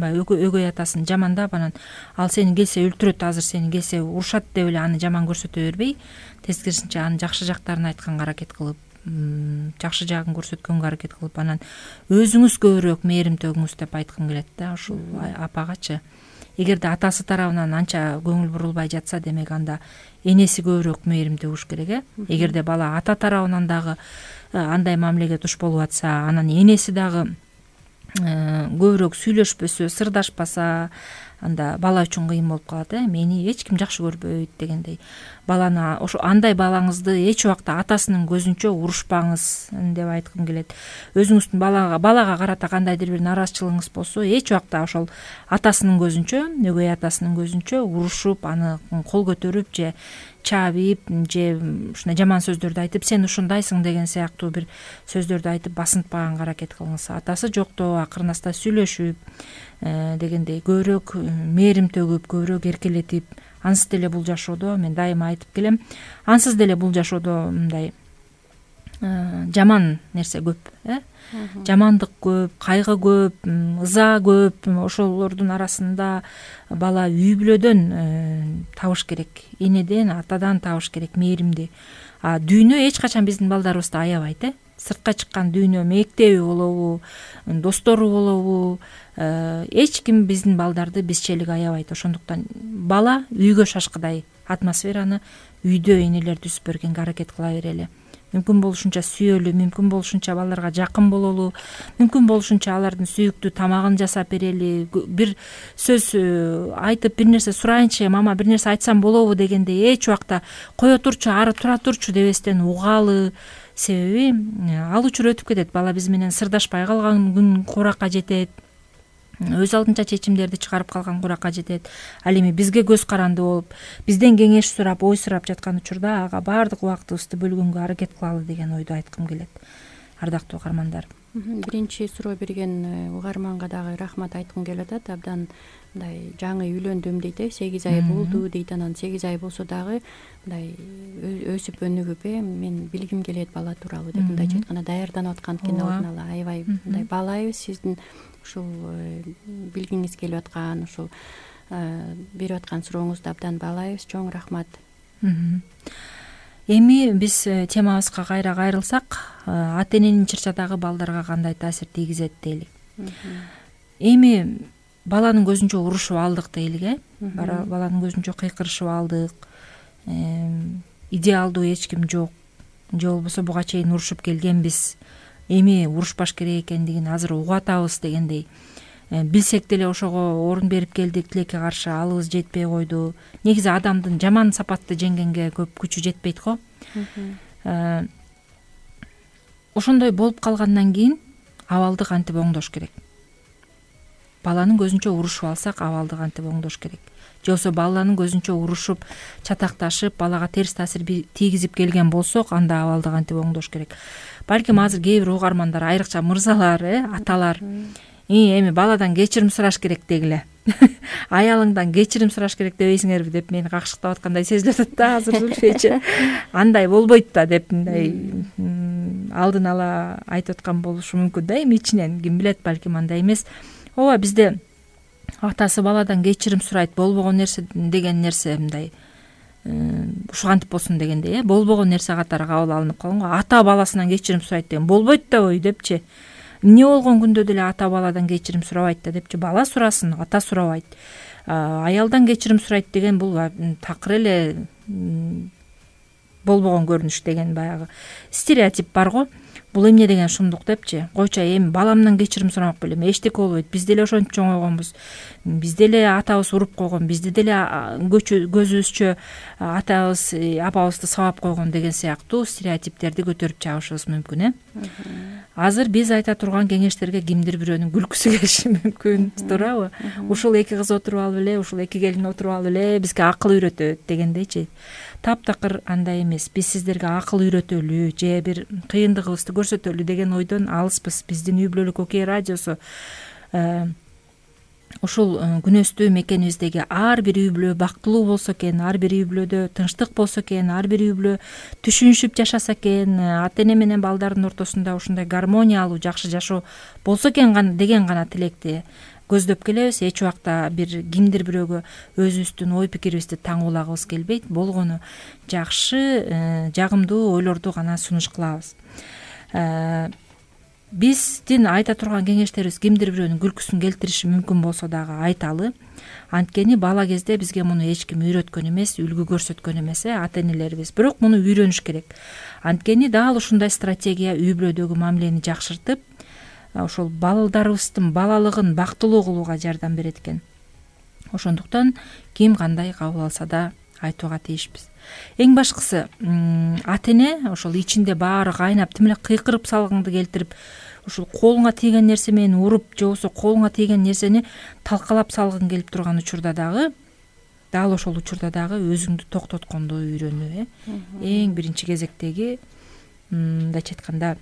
өгөй атасын жамандап, анан ал сени келсе өлтүрөт, азыр сени келсе урушат деп эле аны жаман көрсөтө бербей, тескерисинче анын жакшы жактарын айтканга аракет кылып, жакшы жагын көрсөткөнгө аракет кылып, анан өзүңүз көбүрөөк мээрим төгүңүз деп айткым келет да ушул апагачы. Эгерде атасы тарабынан анча көңүл бурулбай жатса, демек анда энеси көбүрөөк мээрим төгүш керек. Эгерде бала ата тарабынан дагы андай мамилеге туш болуп атса, анан энеси дагы көбүрөөк сүйлөшпөсө, сырдашпаса, анда бала үчүн кыйын болуп калат. Мени эч ким жакшы көрбөйт дегендей. Баланы ошо андай балаңызды эч убакта атасынын көзүнчө урушпаңыз деп айткым келет. Өзүңүздүн балага карата кандайдыр бир нааразычылыгыңыз болсо, эч убакта ошол атасынын көзүнчө, өгөй атасынын көзүнчө урушуп, аны кол көтөрүп же чаабип, же ушундай жаман сөздөрдү айтып, сен ушундайсың деген сыяктуу бир сөздөрдү айтып басынтпаганга аракет кылыңыз. Атасы жокто акырын аста сүйлөшүп дегендей, көбүрөөк мээрим төгүп, көбүрөөк эркелетип, ансыз деле бул жашоодо, мен дайыма айтып келем, ансыз деле бул жашоодо мындай жаман нерсе көп, жамандык көп, кайгы көп, ыза көп. Ошолордун арасында бала үй бүлөдөн табыш керек, энеден, атадан табыш керек мээримди. Дүйнө эч качан биздин балдарыбызды аябайт. Сыртка чыккан дүйнө мектеби болобу, достору болобу, эч ким биздин балдарды бизчелик аябайт. Ошондуктан бала үйгө шашкыдай атмосфераны үйдө энелер түзүп бергенге аракет кыла берели. Мүмкүн болушунча сүйөлү, мүмкүн болушунча балдарга жакын бололу, мүмкүн болушунча алардын сүйүктүү тамагын жасап берели. Бир сөз айтып, бир нерсе сурайынчы, мама бир нерсе айтсам болобу дегенде эч убакта кое турчу, ары тура турчу дебестен угалы. Себеби ал учур өтүп кетет, бала биз менен сырдашпай калган күн куракка жетет, өз алдынча чечимдерди чыгарып калган куракка жетет. Ал эми бизге көз каранды болуп, бизден кеңеш сурап, ой сурап жаткан учурда ага баардык убактыбызды бөлгөнгө аракет кылалы деген ойду айткым келет. Ардактуу угармандар, биринчи суроо берген угарманга дагы рахмат айткым келип атат. Абдан мындай жаңы үйлөндүм дейт, 8 ай болду дейт. Анан 8 ай болсо дагы мындай өсүп өнүгүп, мен билгим келет бала тууралуу деп мындайча айтканда даярданып аткан экен. Алдын ала аябай мындай баалайбыз сиздин ушул билгиңиз келип аткан, ушул берип аткан сурооңузду абдан баалайбыз. Чоң рахмат. Эми биз темабызга кайра кайрылсак, ата эненин чырчадагы балдарга кандай таасир тийгизет дейли. Эми баланын көзүнчө урушуп алдык дейлик, баланын көзүнчө кыйкырышып алдык, идеалдуу эч ким жок, же болбосо буга чейин урушуп келгенбиз, эми урушпаш керек экендигин азыр угуп атабыз дегендей. Билсек деле ошого орун берип келдик, тилекке каршы алыбыз жетпей койду. Негизи адамдын жаман сапатты жеңгенге көп күчү жетпейт го. Ошондой болуп калгандан кийин абалды кантип оңдош керек? Баланын көзүнчө урушуп алсак, абалды кантип оңдош керек? Же болбосо баланын көзүнчө урушуп, чатакташып, балага терс таасир тийгизип келген болсок, анда абалды кантип оңдош керек? Балким азыр кээ бир угармандар, айрыкча мырзалар, аталар, эми баладан кечирим сураш керек дегиле. Аялыңдан кечирим сураш керек дебейсиңерби деп мени какшыктап аткандай сезилип атат да азыр Зүлфече. Андай болбойт да деп мындай алдын ала айтып аткан болушу мүмкүн да, эми ичинен ким билет, балким андай эмес. Ооба, бизде атасы баладан кечирим сурайт, болбогон нерсе деген нерсе мындай ушкантип болсун дегендей, болбогон нерсе катары кабыл алынып калган го. Ата баласынан кечирим сурайт деген болбойт да ой депчи. Эмне болгон күндө деле ата баладан кечирим сурабайт да депчи. Бала сурасын, ата сурабайт. Аялдан кечирим сурайт деген бул такыр эле болбогон көрүнүш деген баягы стереотип бар го. Бул эмне деген шумдук депчи. Койчу, эми баламдан кечирим сурамак белем, эчтеке болбойт. Биз деле ошентип чоңойгонбуз. Биз деле атабыз уруп койгон, бизди деле көзүбүзчө атабыз, апабызды сабап койгон деген сыяктуу стереотиптерди көтөрүп чыгышыбыз мүмкүн, Азыр биз айта турган кеңештерге кимдир бирөөнүн күлкүсү келиши мүмкүн, туурабы? Ушул эки кыз отуруп алып эле, ушул эки келин отуруп алып эле бизге акыл үйрөтөт дегендейчи. Таптакыр андай эмес. Биз сиздерге акыл үйрөтөлү же бир кыйындыгыбызды көрсөтөлү деген ойдон алыспыз. Биздин үй бүлөлүк окей радиосу ушул күнөстүү мекенибиздеги ар бир үй бүлө бактылуу болсо экен, ар бир үй бүлөдө тынчтык болсо экен, ар бир үй бүлө түшүнүшүп жашаса экен, ата эне менен балдардын ортосунда ушундай гармониялуу жакшы жашоо болсо экен деген гана тилекти көздөп келебиз. Эч убакта бир кимдир бирөөгө өзүбүздүн ой пикирибизди таңуулагыбыз келбейт. Болгону жакшы, жагымдуу ойлорду гана сунуш кылабыз. Биздин айта турган кеңештерибиз кимдир бирөөнүн күлкүсүн келтириши мүмкүн болсо дагы айталы. Анткени бала кезде бизге муну эч ким үйрөткөн эмес, үлгү көрсөткөн эмес, ата энелерибиз. Бирок муну үйрөнүш керек. Анткени дал ушундай стратегия үй бүлөдөгү мамилени жакшыртып, ошол балдарыбыздын балалыгын бактылуу кылууга жардам берет экен. Ошондуктан ким кандай кабыл алса да айтууга тийишпиз. Эң башкысы, ата эне ошол ичинде баары кайнап, тим эле кыйкырып салгыңды келтирип, ушул колуңа тийген нерсе менен уруп, же болбосо колуңа тийген нерсени талкалап салгың келип турган учурда дагы, дал ошол учурда дагы өзүңдү токтотконду үйрөнүү, Эң биринчи кезектеги, мындайча айтканда,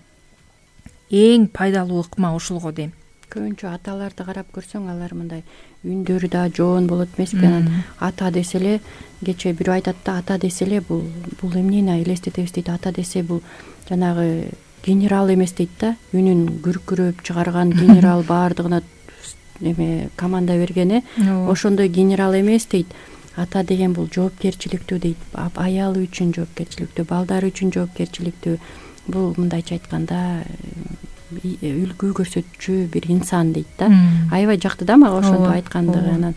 эң пайдалуу ыкма ушул го дейм. көбүнчө аталарды карап көрсөң, алар мындай үндөрү да жоон болот эмеспи? Анан ата десе эле, кечээ бирөө айтат да, ата десе эле бул эмнени элестетебиз дейт. Ата десе бул жанагы генерал эмес дейт да, үнүн күркүрөп чыгарган генерал, баардыгына эме команда берген, ошондой генерал эмес дейт. Ата деген бул жоопкерчиликтүү дейт, аялы үчүн жоопкерчиликтүү, балдары үчүн жоопкерчиликтүү. Бул мындайча айтканда үлгү көрсөтчү бир инсан дейт да. Аябай жакты да мага ошентип айткандыгы. Анан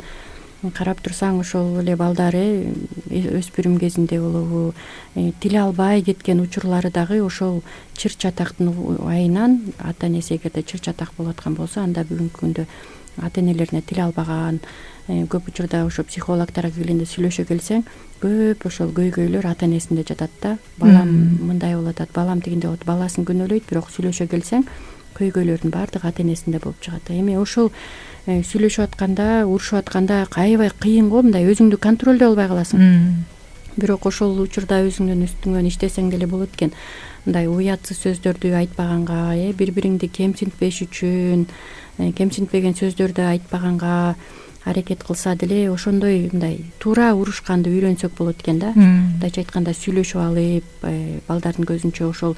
карап турсаң, ошол эле балдары өспүрүм кезинде болобу, тил албай кеткен учурлары дагы ошол чыр чатактын айынан, ата энеси эгерде чыр чатак болуп аткан болсо, анда бүгүнкү күндө ата энелерине тил албаган, көп учурда ошо психологторго келгенде сүйлөшө келсең, көп ошол көйгөйлөр ата энесинде жатат да. Балам мындай болуп атат, балам тигиндей болот, баласын күнөөлөйт, бирок сүйлөшө келсең көйгөйлөрдүн баардыгы ата энесинде болуп чыгат. Эми ошол сүйлөшүп атканда, урушуп атканда аябай кыйын го, мындай өзүңдү контролдой албай каласың. Бирок ошол учурда өзүңдүн үстүңөн иштесең деле болот экен. Мындай уятсыз сөздөрдү айтпаганга, бири-бириңди кемсинтпеш үчүн, кемсинтпеген сөздөрдү айтпаганга аракет кылса деле, ошондой мындай туура урушканды үйрөнсөк болот экен да. Мындайча айтканда сүйлөшүп алып, балдардын көзүнчө ошол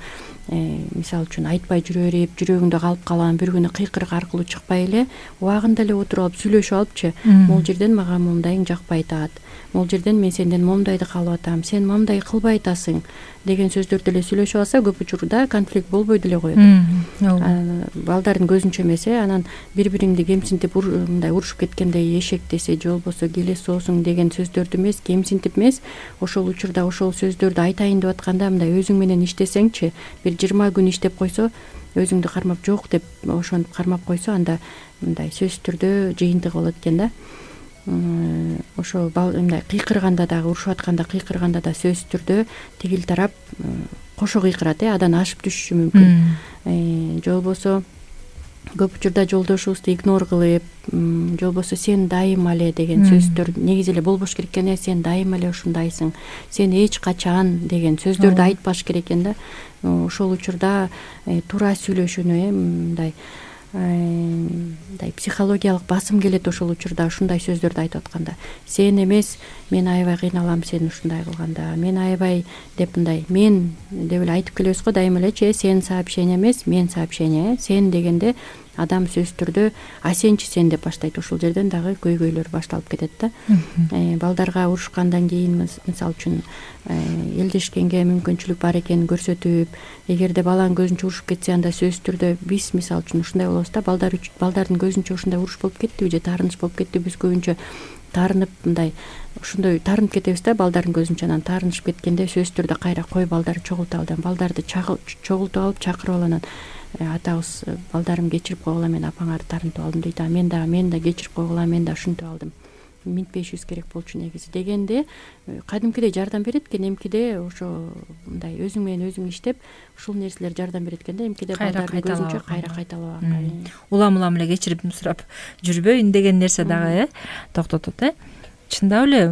мисалы үчүн айтпай жүрө берип, жүрөгүндө калып калган бир күнү кыйкырык аркылуу чыкпай эле, убагында эле отуруп алып сүйлөшүп алыпчы, могул жерден мага момундайың жакпай атат, могул жерден мен сенден момундайды каалап атам, сен момундай кылбай атасың деген сөздөрдү эле сүйлөшүп алса, көп учурда конфликт болбой деле коет. Балдардын көзүнчө эмес, анан бири-бириңди кемсинтип мындай урушуп кеткендей эшектесе же болбосо келе соосуң деген сөздөрдү эмес, кемсинтип эмес, ошол учурда ошол сөздөрдү айтайын деп атканда мындай өзүң менен иштесеңчи, бир 20 күн иштеп койсо, өзүңдү кармап жок деп ошентип кармап койсо, анда мындай сөзсүз түрдө жыйынтыгы болот экен да. Ошо мындай кыйкырганда дагы, урушуп атканда кыйкырганда да сөзсүз түрдө тигил тарап кошо кыйкырат, адан ашып түшүшү мүмкүн. Же болбосо көп учурда жолдошубузду игнор кылып, же болбосо сен дайыма эле деген сөздөр негизи эле болбош керек экен. Сен дайыма эле ушундайсың, сен эч качан деген сөздөрдү айтпаш керек экен да. Ошол учурда туура сүйлөшүүнү мындай психологиялык басым келет. Ошол учурда ушундай сөздөрдү айтып атканда, сен эмес, мен аябай кыйналам сен ушундай кылганда, мен аябай деп мындай мен деп эле айтып келебиз го дайыма элечи. Сен сообщение эмес, мен сообщение. Сен дегенде адам сөзсүз түрдө а сенчи сен деп баштайт. Ошол жерден дагы көйгөйлөр башталып кетет да. Балдарга урушкандан кийин мисалы үчүн элдешкенге мүмкүнчүлүк бар экенин көрсөтүп, эгерде баланын көзүнчө урушуп кетсе, анда сөзсүз түрдө биз мисалы үчүн ушундай болобуз да, балдардын көзүнчө ушундай уруш болуп кеттиби же таарыныч болуп кеттиби, биз көбүнчө таарынып мындай ошондой таарынып кетебиз да балдардын көзүнчө. Анан таарынышып кеткенде сөзсүз түрдө кайра кой балдарды чогултабы, балдарды чогултуп алып чакырып алып, анан атабыз балдарым кечирип койгула, мен апаңарды таарынтып алдым дейт. Мен да кечирип койгула, мен да ушинтип алдым, минтпешибиз керек болчу негизи дегенде кадимкидей жардам берет экен. Эмкиде ошо мындай өзүң менен өзүң иштеп ушул нерселер жардам берет экен да. Эмкиде балдардын көзүнчө кайра кайталабаганга, улам эле кечирип сурап жүрбөйүн деген нерсе дагы токтотот. Чындап эле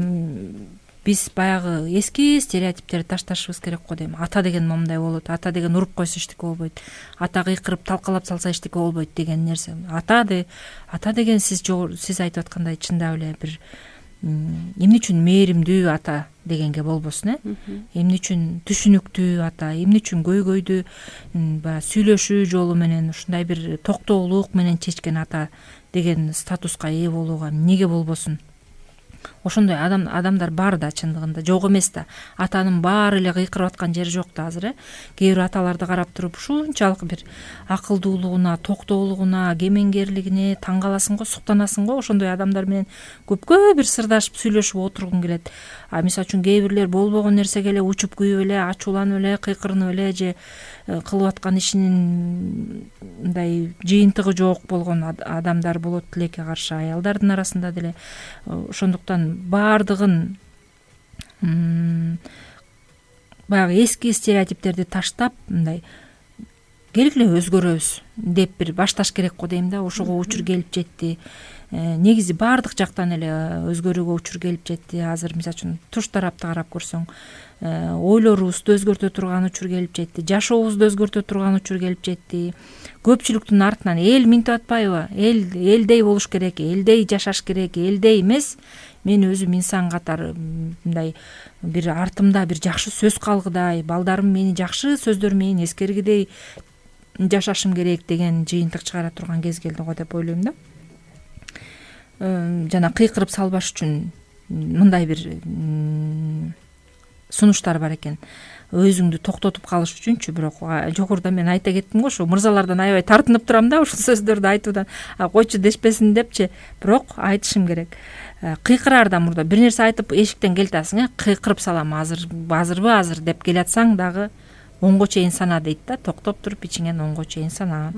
биз баягы эски стереотиптерди ташташыбыз керек го дейм. Ата деген момундай болот, ата деген уруп койсо эчтеке болбойт, ата кыйкырып талкалап салса эчтеке болбойт деген нерсе. Ата деген сиз айтып аткандай чындап эле бир эмне үчүн мээримдүү ата дегенге болбосун, эмне үчүн түшүнүктүү ата, эмне үчүн көйгөйдү баягы сүйлөшүү жолу менен ушундай бир токтоолук менен чечкен ата деген статуска ээ болууга эмнеге болбосун. Ошондой адамдар бар да, чындыгында жок эмес да. Атанын баары эле кыйкырып аткан жери жок да азыр. Кээ бир аталарды карап туруп ушунчалык бир акылдуулугуна, токтоолугуна, кемеңгерлигине таң каласың го, суктанасың го. Ошондой адамдар менен көпкө бир сырдашып сүйлөшүп отургуң келет. Мисалы үчүн кээ бирлер болбогон нерсеге эле учуп күйүп эле, ачууланып эле, кыйкырынып эле же кылып аткан ишинин мындай жыйынтыгы жок болгон адамдар болот тилекке каршы, аялдардын арасында деле. Ошондуктан баардыгын баягы эски стереотиптерди таштап, мындай келгиле өзгөрөбүз деп бир башташ керек го дейм да. Ошого учур келип жетти. Негизи баардык жактан эле өзгөрүүгө учур келип жетти. Азыр мисалы үчүн туш тарапты карап көрсөң, ойлорубузду өзгөртө турган учур келип жетти, жашообузду өзгөртө турган учур келип жетти. Көпчүлүктүн артынан эл минтип атпайбы? Элдей болуш керек, элдей жашаш керек, элдей эмес. Мен өзүм инсан катары мындай бир артымда бир жакшы сөз калгыдай, балдарым мени жакшы сөздөр менен эскергидей жашашым керек деген жыйынтык чыгара турган кез келди го деп ойлойм да. Жана кыйкырып салбаш үчүн мындай бир сунуштар бар экен. Өзүңдү токтотуп калыш үчүнчү. Бирок жогоруда мен айта кеттим го, ошо мырзалардан аябай тартынып турам да ушул сөздөрдү айтуудан. Койчу дешпесин депчи, бирок айтышым керек. Кыйкыраардан мурда бир нерсе айтып эшиктен келатасың, кыйкырып салам азырбы деп келатсаң дагы 10го чейин сана дейт да. Токтоп туруп ичиңен 10го чейин сана.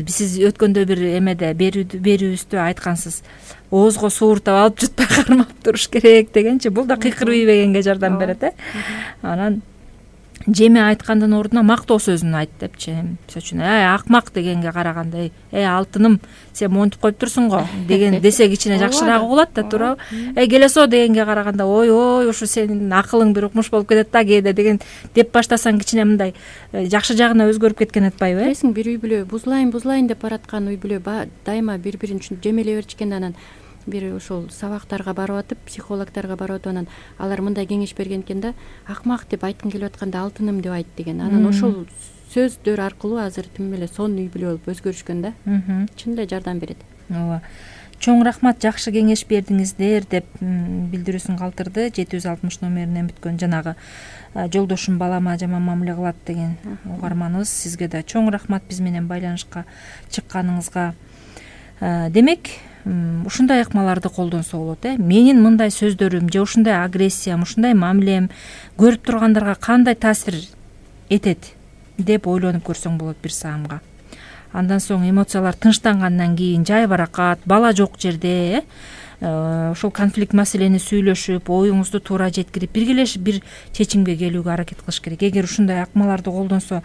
Сиз өткөндө бир эмеде берүүбүздө айткансыз, оозго сууртап алып жутпай кармап туруш керек дегенчи. Бул да кыйкырып ийбегенге жардам берет. Анан жеме айткандын ордуна мактоо сөзүн айт депчи. Мисалы үчүн акмак дегенге караганда алтыным сен монтип коюп турсуң го деген десе кичине жакшыраак угулат да, туурабы? Келесо дегенге караганда ой ушу сенин акылың бир укмуш болуп кетет да кээде деген деп баштасаң кичине мындай жакшы жагына өзгөрүп кеткен атпайбы? Билесиң, бир үй бүлө бузулайын деп бараткан үй бүлө дайыма бири-бирин жемелей беришкен. Анан бир ушул сабактарга барып атып, психологторго барып атып, анан алар мындай кеңеш берген экен да, акмак деп айткың келип атканда алтыным деп айт деген. Анан ошол сөздөр аркылуу азыр тим эле сонун үй бүлө болуп өзгөрүшкөн да. Чын эле жардам берет. Ооба. Чоң рахмат, жакшы кеңеш бердиңиздер деп билдирүүсүн калтырды 760 номеринен бүткөн жанагы жолдошум балама жаман мамиле кылат деген угарманыбыз. Сизге да чоң рахмат биз менен байланышка чыкканыңызга. Демек, ушундай ыкмаларды колдонсо болот. Менин мындай сөздөрүм же ушундай агрессиям, ушундай мамилем көрүп тургандарга кандай таасир этет деп ойлонуп көрсөң болот бир саамга. Андан соң эмоциялар тынчтангандан кийин жай баракат, бала жок жерде ошол конфликт маселени сүйлөшүп, оюңузду туура жеткирип, биргелешип бир чечимге келүүгө аракет кылыш керек. Эгер ушундай акмаларды колдонсо,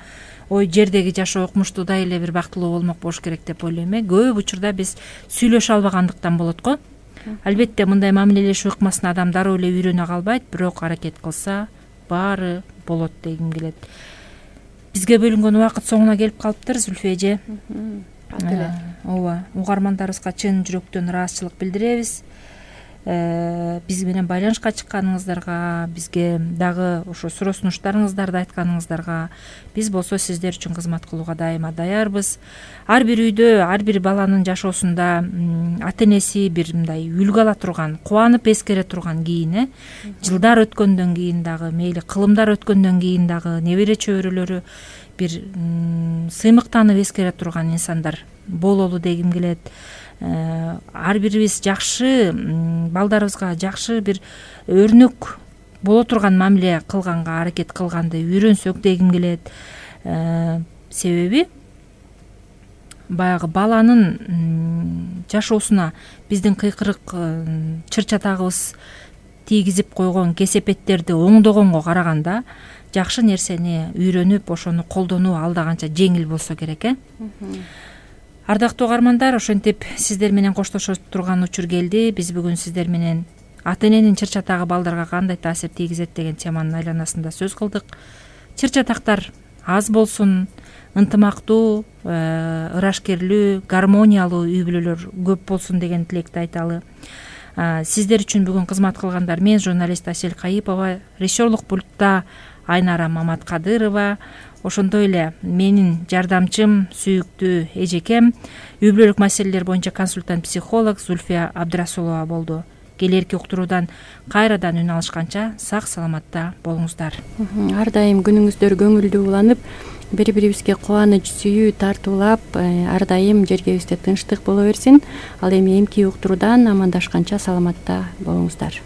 жердеги жашоо укмуштуудай эле бир бактылуу болмок болуш керек деп ойлойм. Көп учурда биз сүйлөшө албагандыктан болот го. Албетте мындай мамилелешүү ыкмасын адам дароо эле үйрөнө калбайт, бирок аракет кылса баары болот дегим келет. Бизге бөлүнгөн убакыт соңуна келип калыптыр, Зүлфия эже. Ооба, угармандарыбызга чын жүрөктөн ыраазычылык билдиребиз. Биз менен байланышка чыкканыңыздарга, бизге дагы ошо суроо сунуштарыңыздарды айтканыңыздарга, биз болсо сиздер үчүн кызмат кылууга дайыма даярбыз. Ар бир үйдө, ар бир баланын жашоосунда ата энеси бир мындай үлгү ала турган, кубанып эскере турган кийин, жылдар өткөндөн кийин дагы, мейли кылымдар өткөндөн кийин дагы небере чөбөрөлөрү бир сыймыктанып эскере турган инсандар бололу дегим келет. Ар бирибиз жакшы балдарыбызга жакшы бир өрнөк боло турган мамиле кылганга аракет кылганды үйрөнсөк дегим келет. Себеби баягы баланын жашоосуна биздин кыйкырык чыр-чатагыбыз тийгизип койгон кесепеттерди оңдогонго караганда жакшы нерсени үйрөнүп, ошону колдонуу алда канча жеңил болсо керек. Ардактуу угармандар, ошентип сиздер менен коштошо турган учур келди. Биз бүгүн сиздер менен ата эненин чыр-чатагы балдарга кандай таасир тийгизет деген теманын айланасында сөз кылдык. Чыр-чатактар аз болсун, ынтымактуу, ырашкерлүү, гармониялуу үй бүлөлөр көп болсун деген тилекти айталы. Сиздер үчүн бүгүн кызмат кылгандар мен журналист Асель Кайыпова, режиссерлук пультта Айнара Маматкадырова, ошондой эле менин жардамчым сүйүктүү эжекем, үй бүлөлүк маселелер боюнча консультант психолог Зүлфия Абдрасулова болду. Келерки уктуруудан кайрадан үн алышканча сак саламатта болуңуздар. Ар дайым күнүңүздөр көңүлдүү уланып, бири-бирибизге кубаныч, сүйүү тартуулап, ар дайым жергебизде тынчтык боло берсин. Ал эми эмки уктуруудан амандашканча саламатта болуңуздар.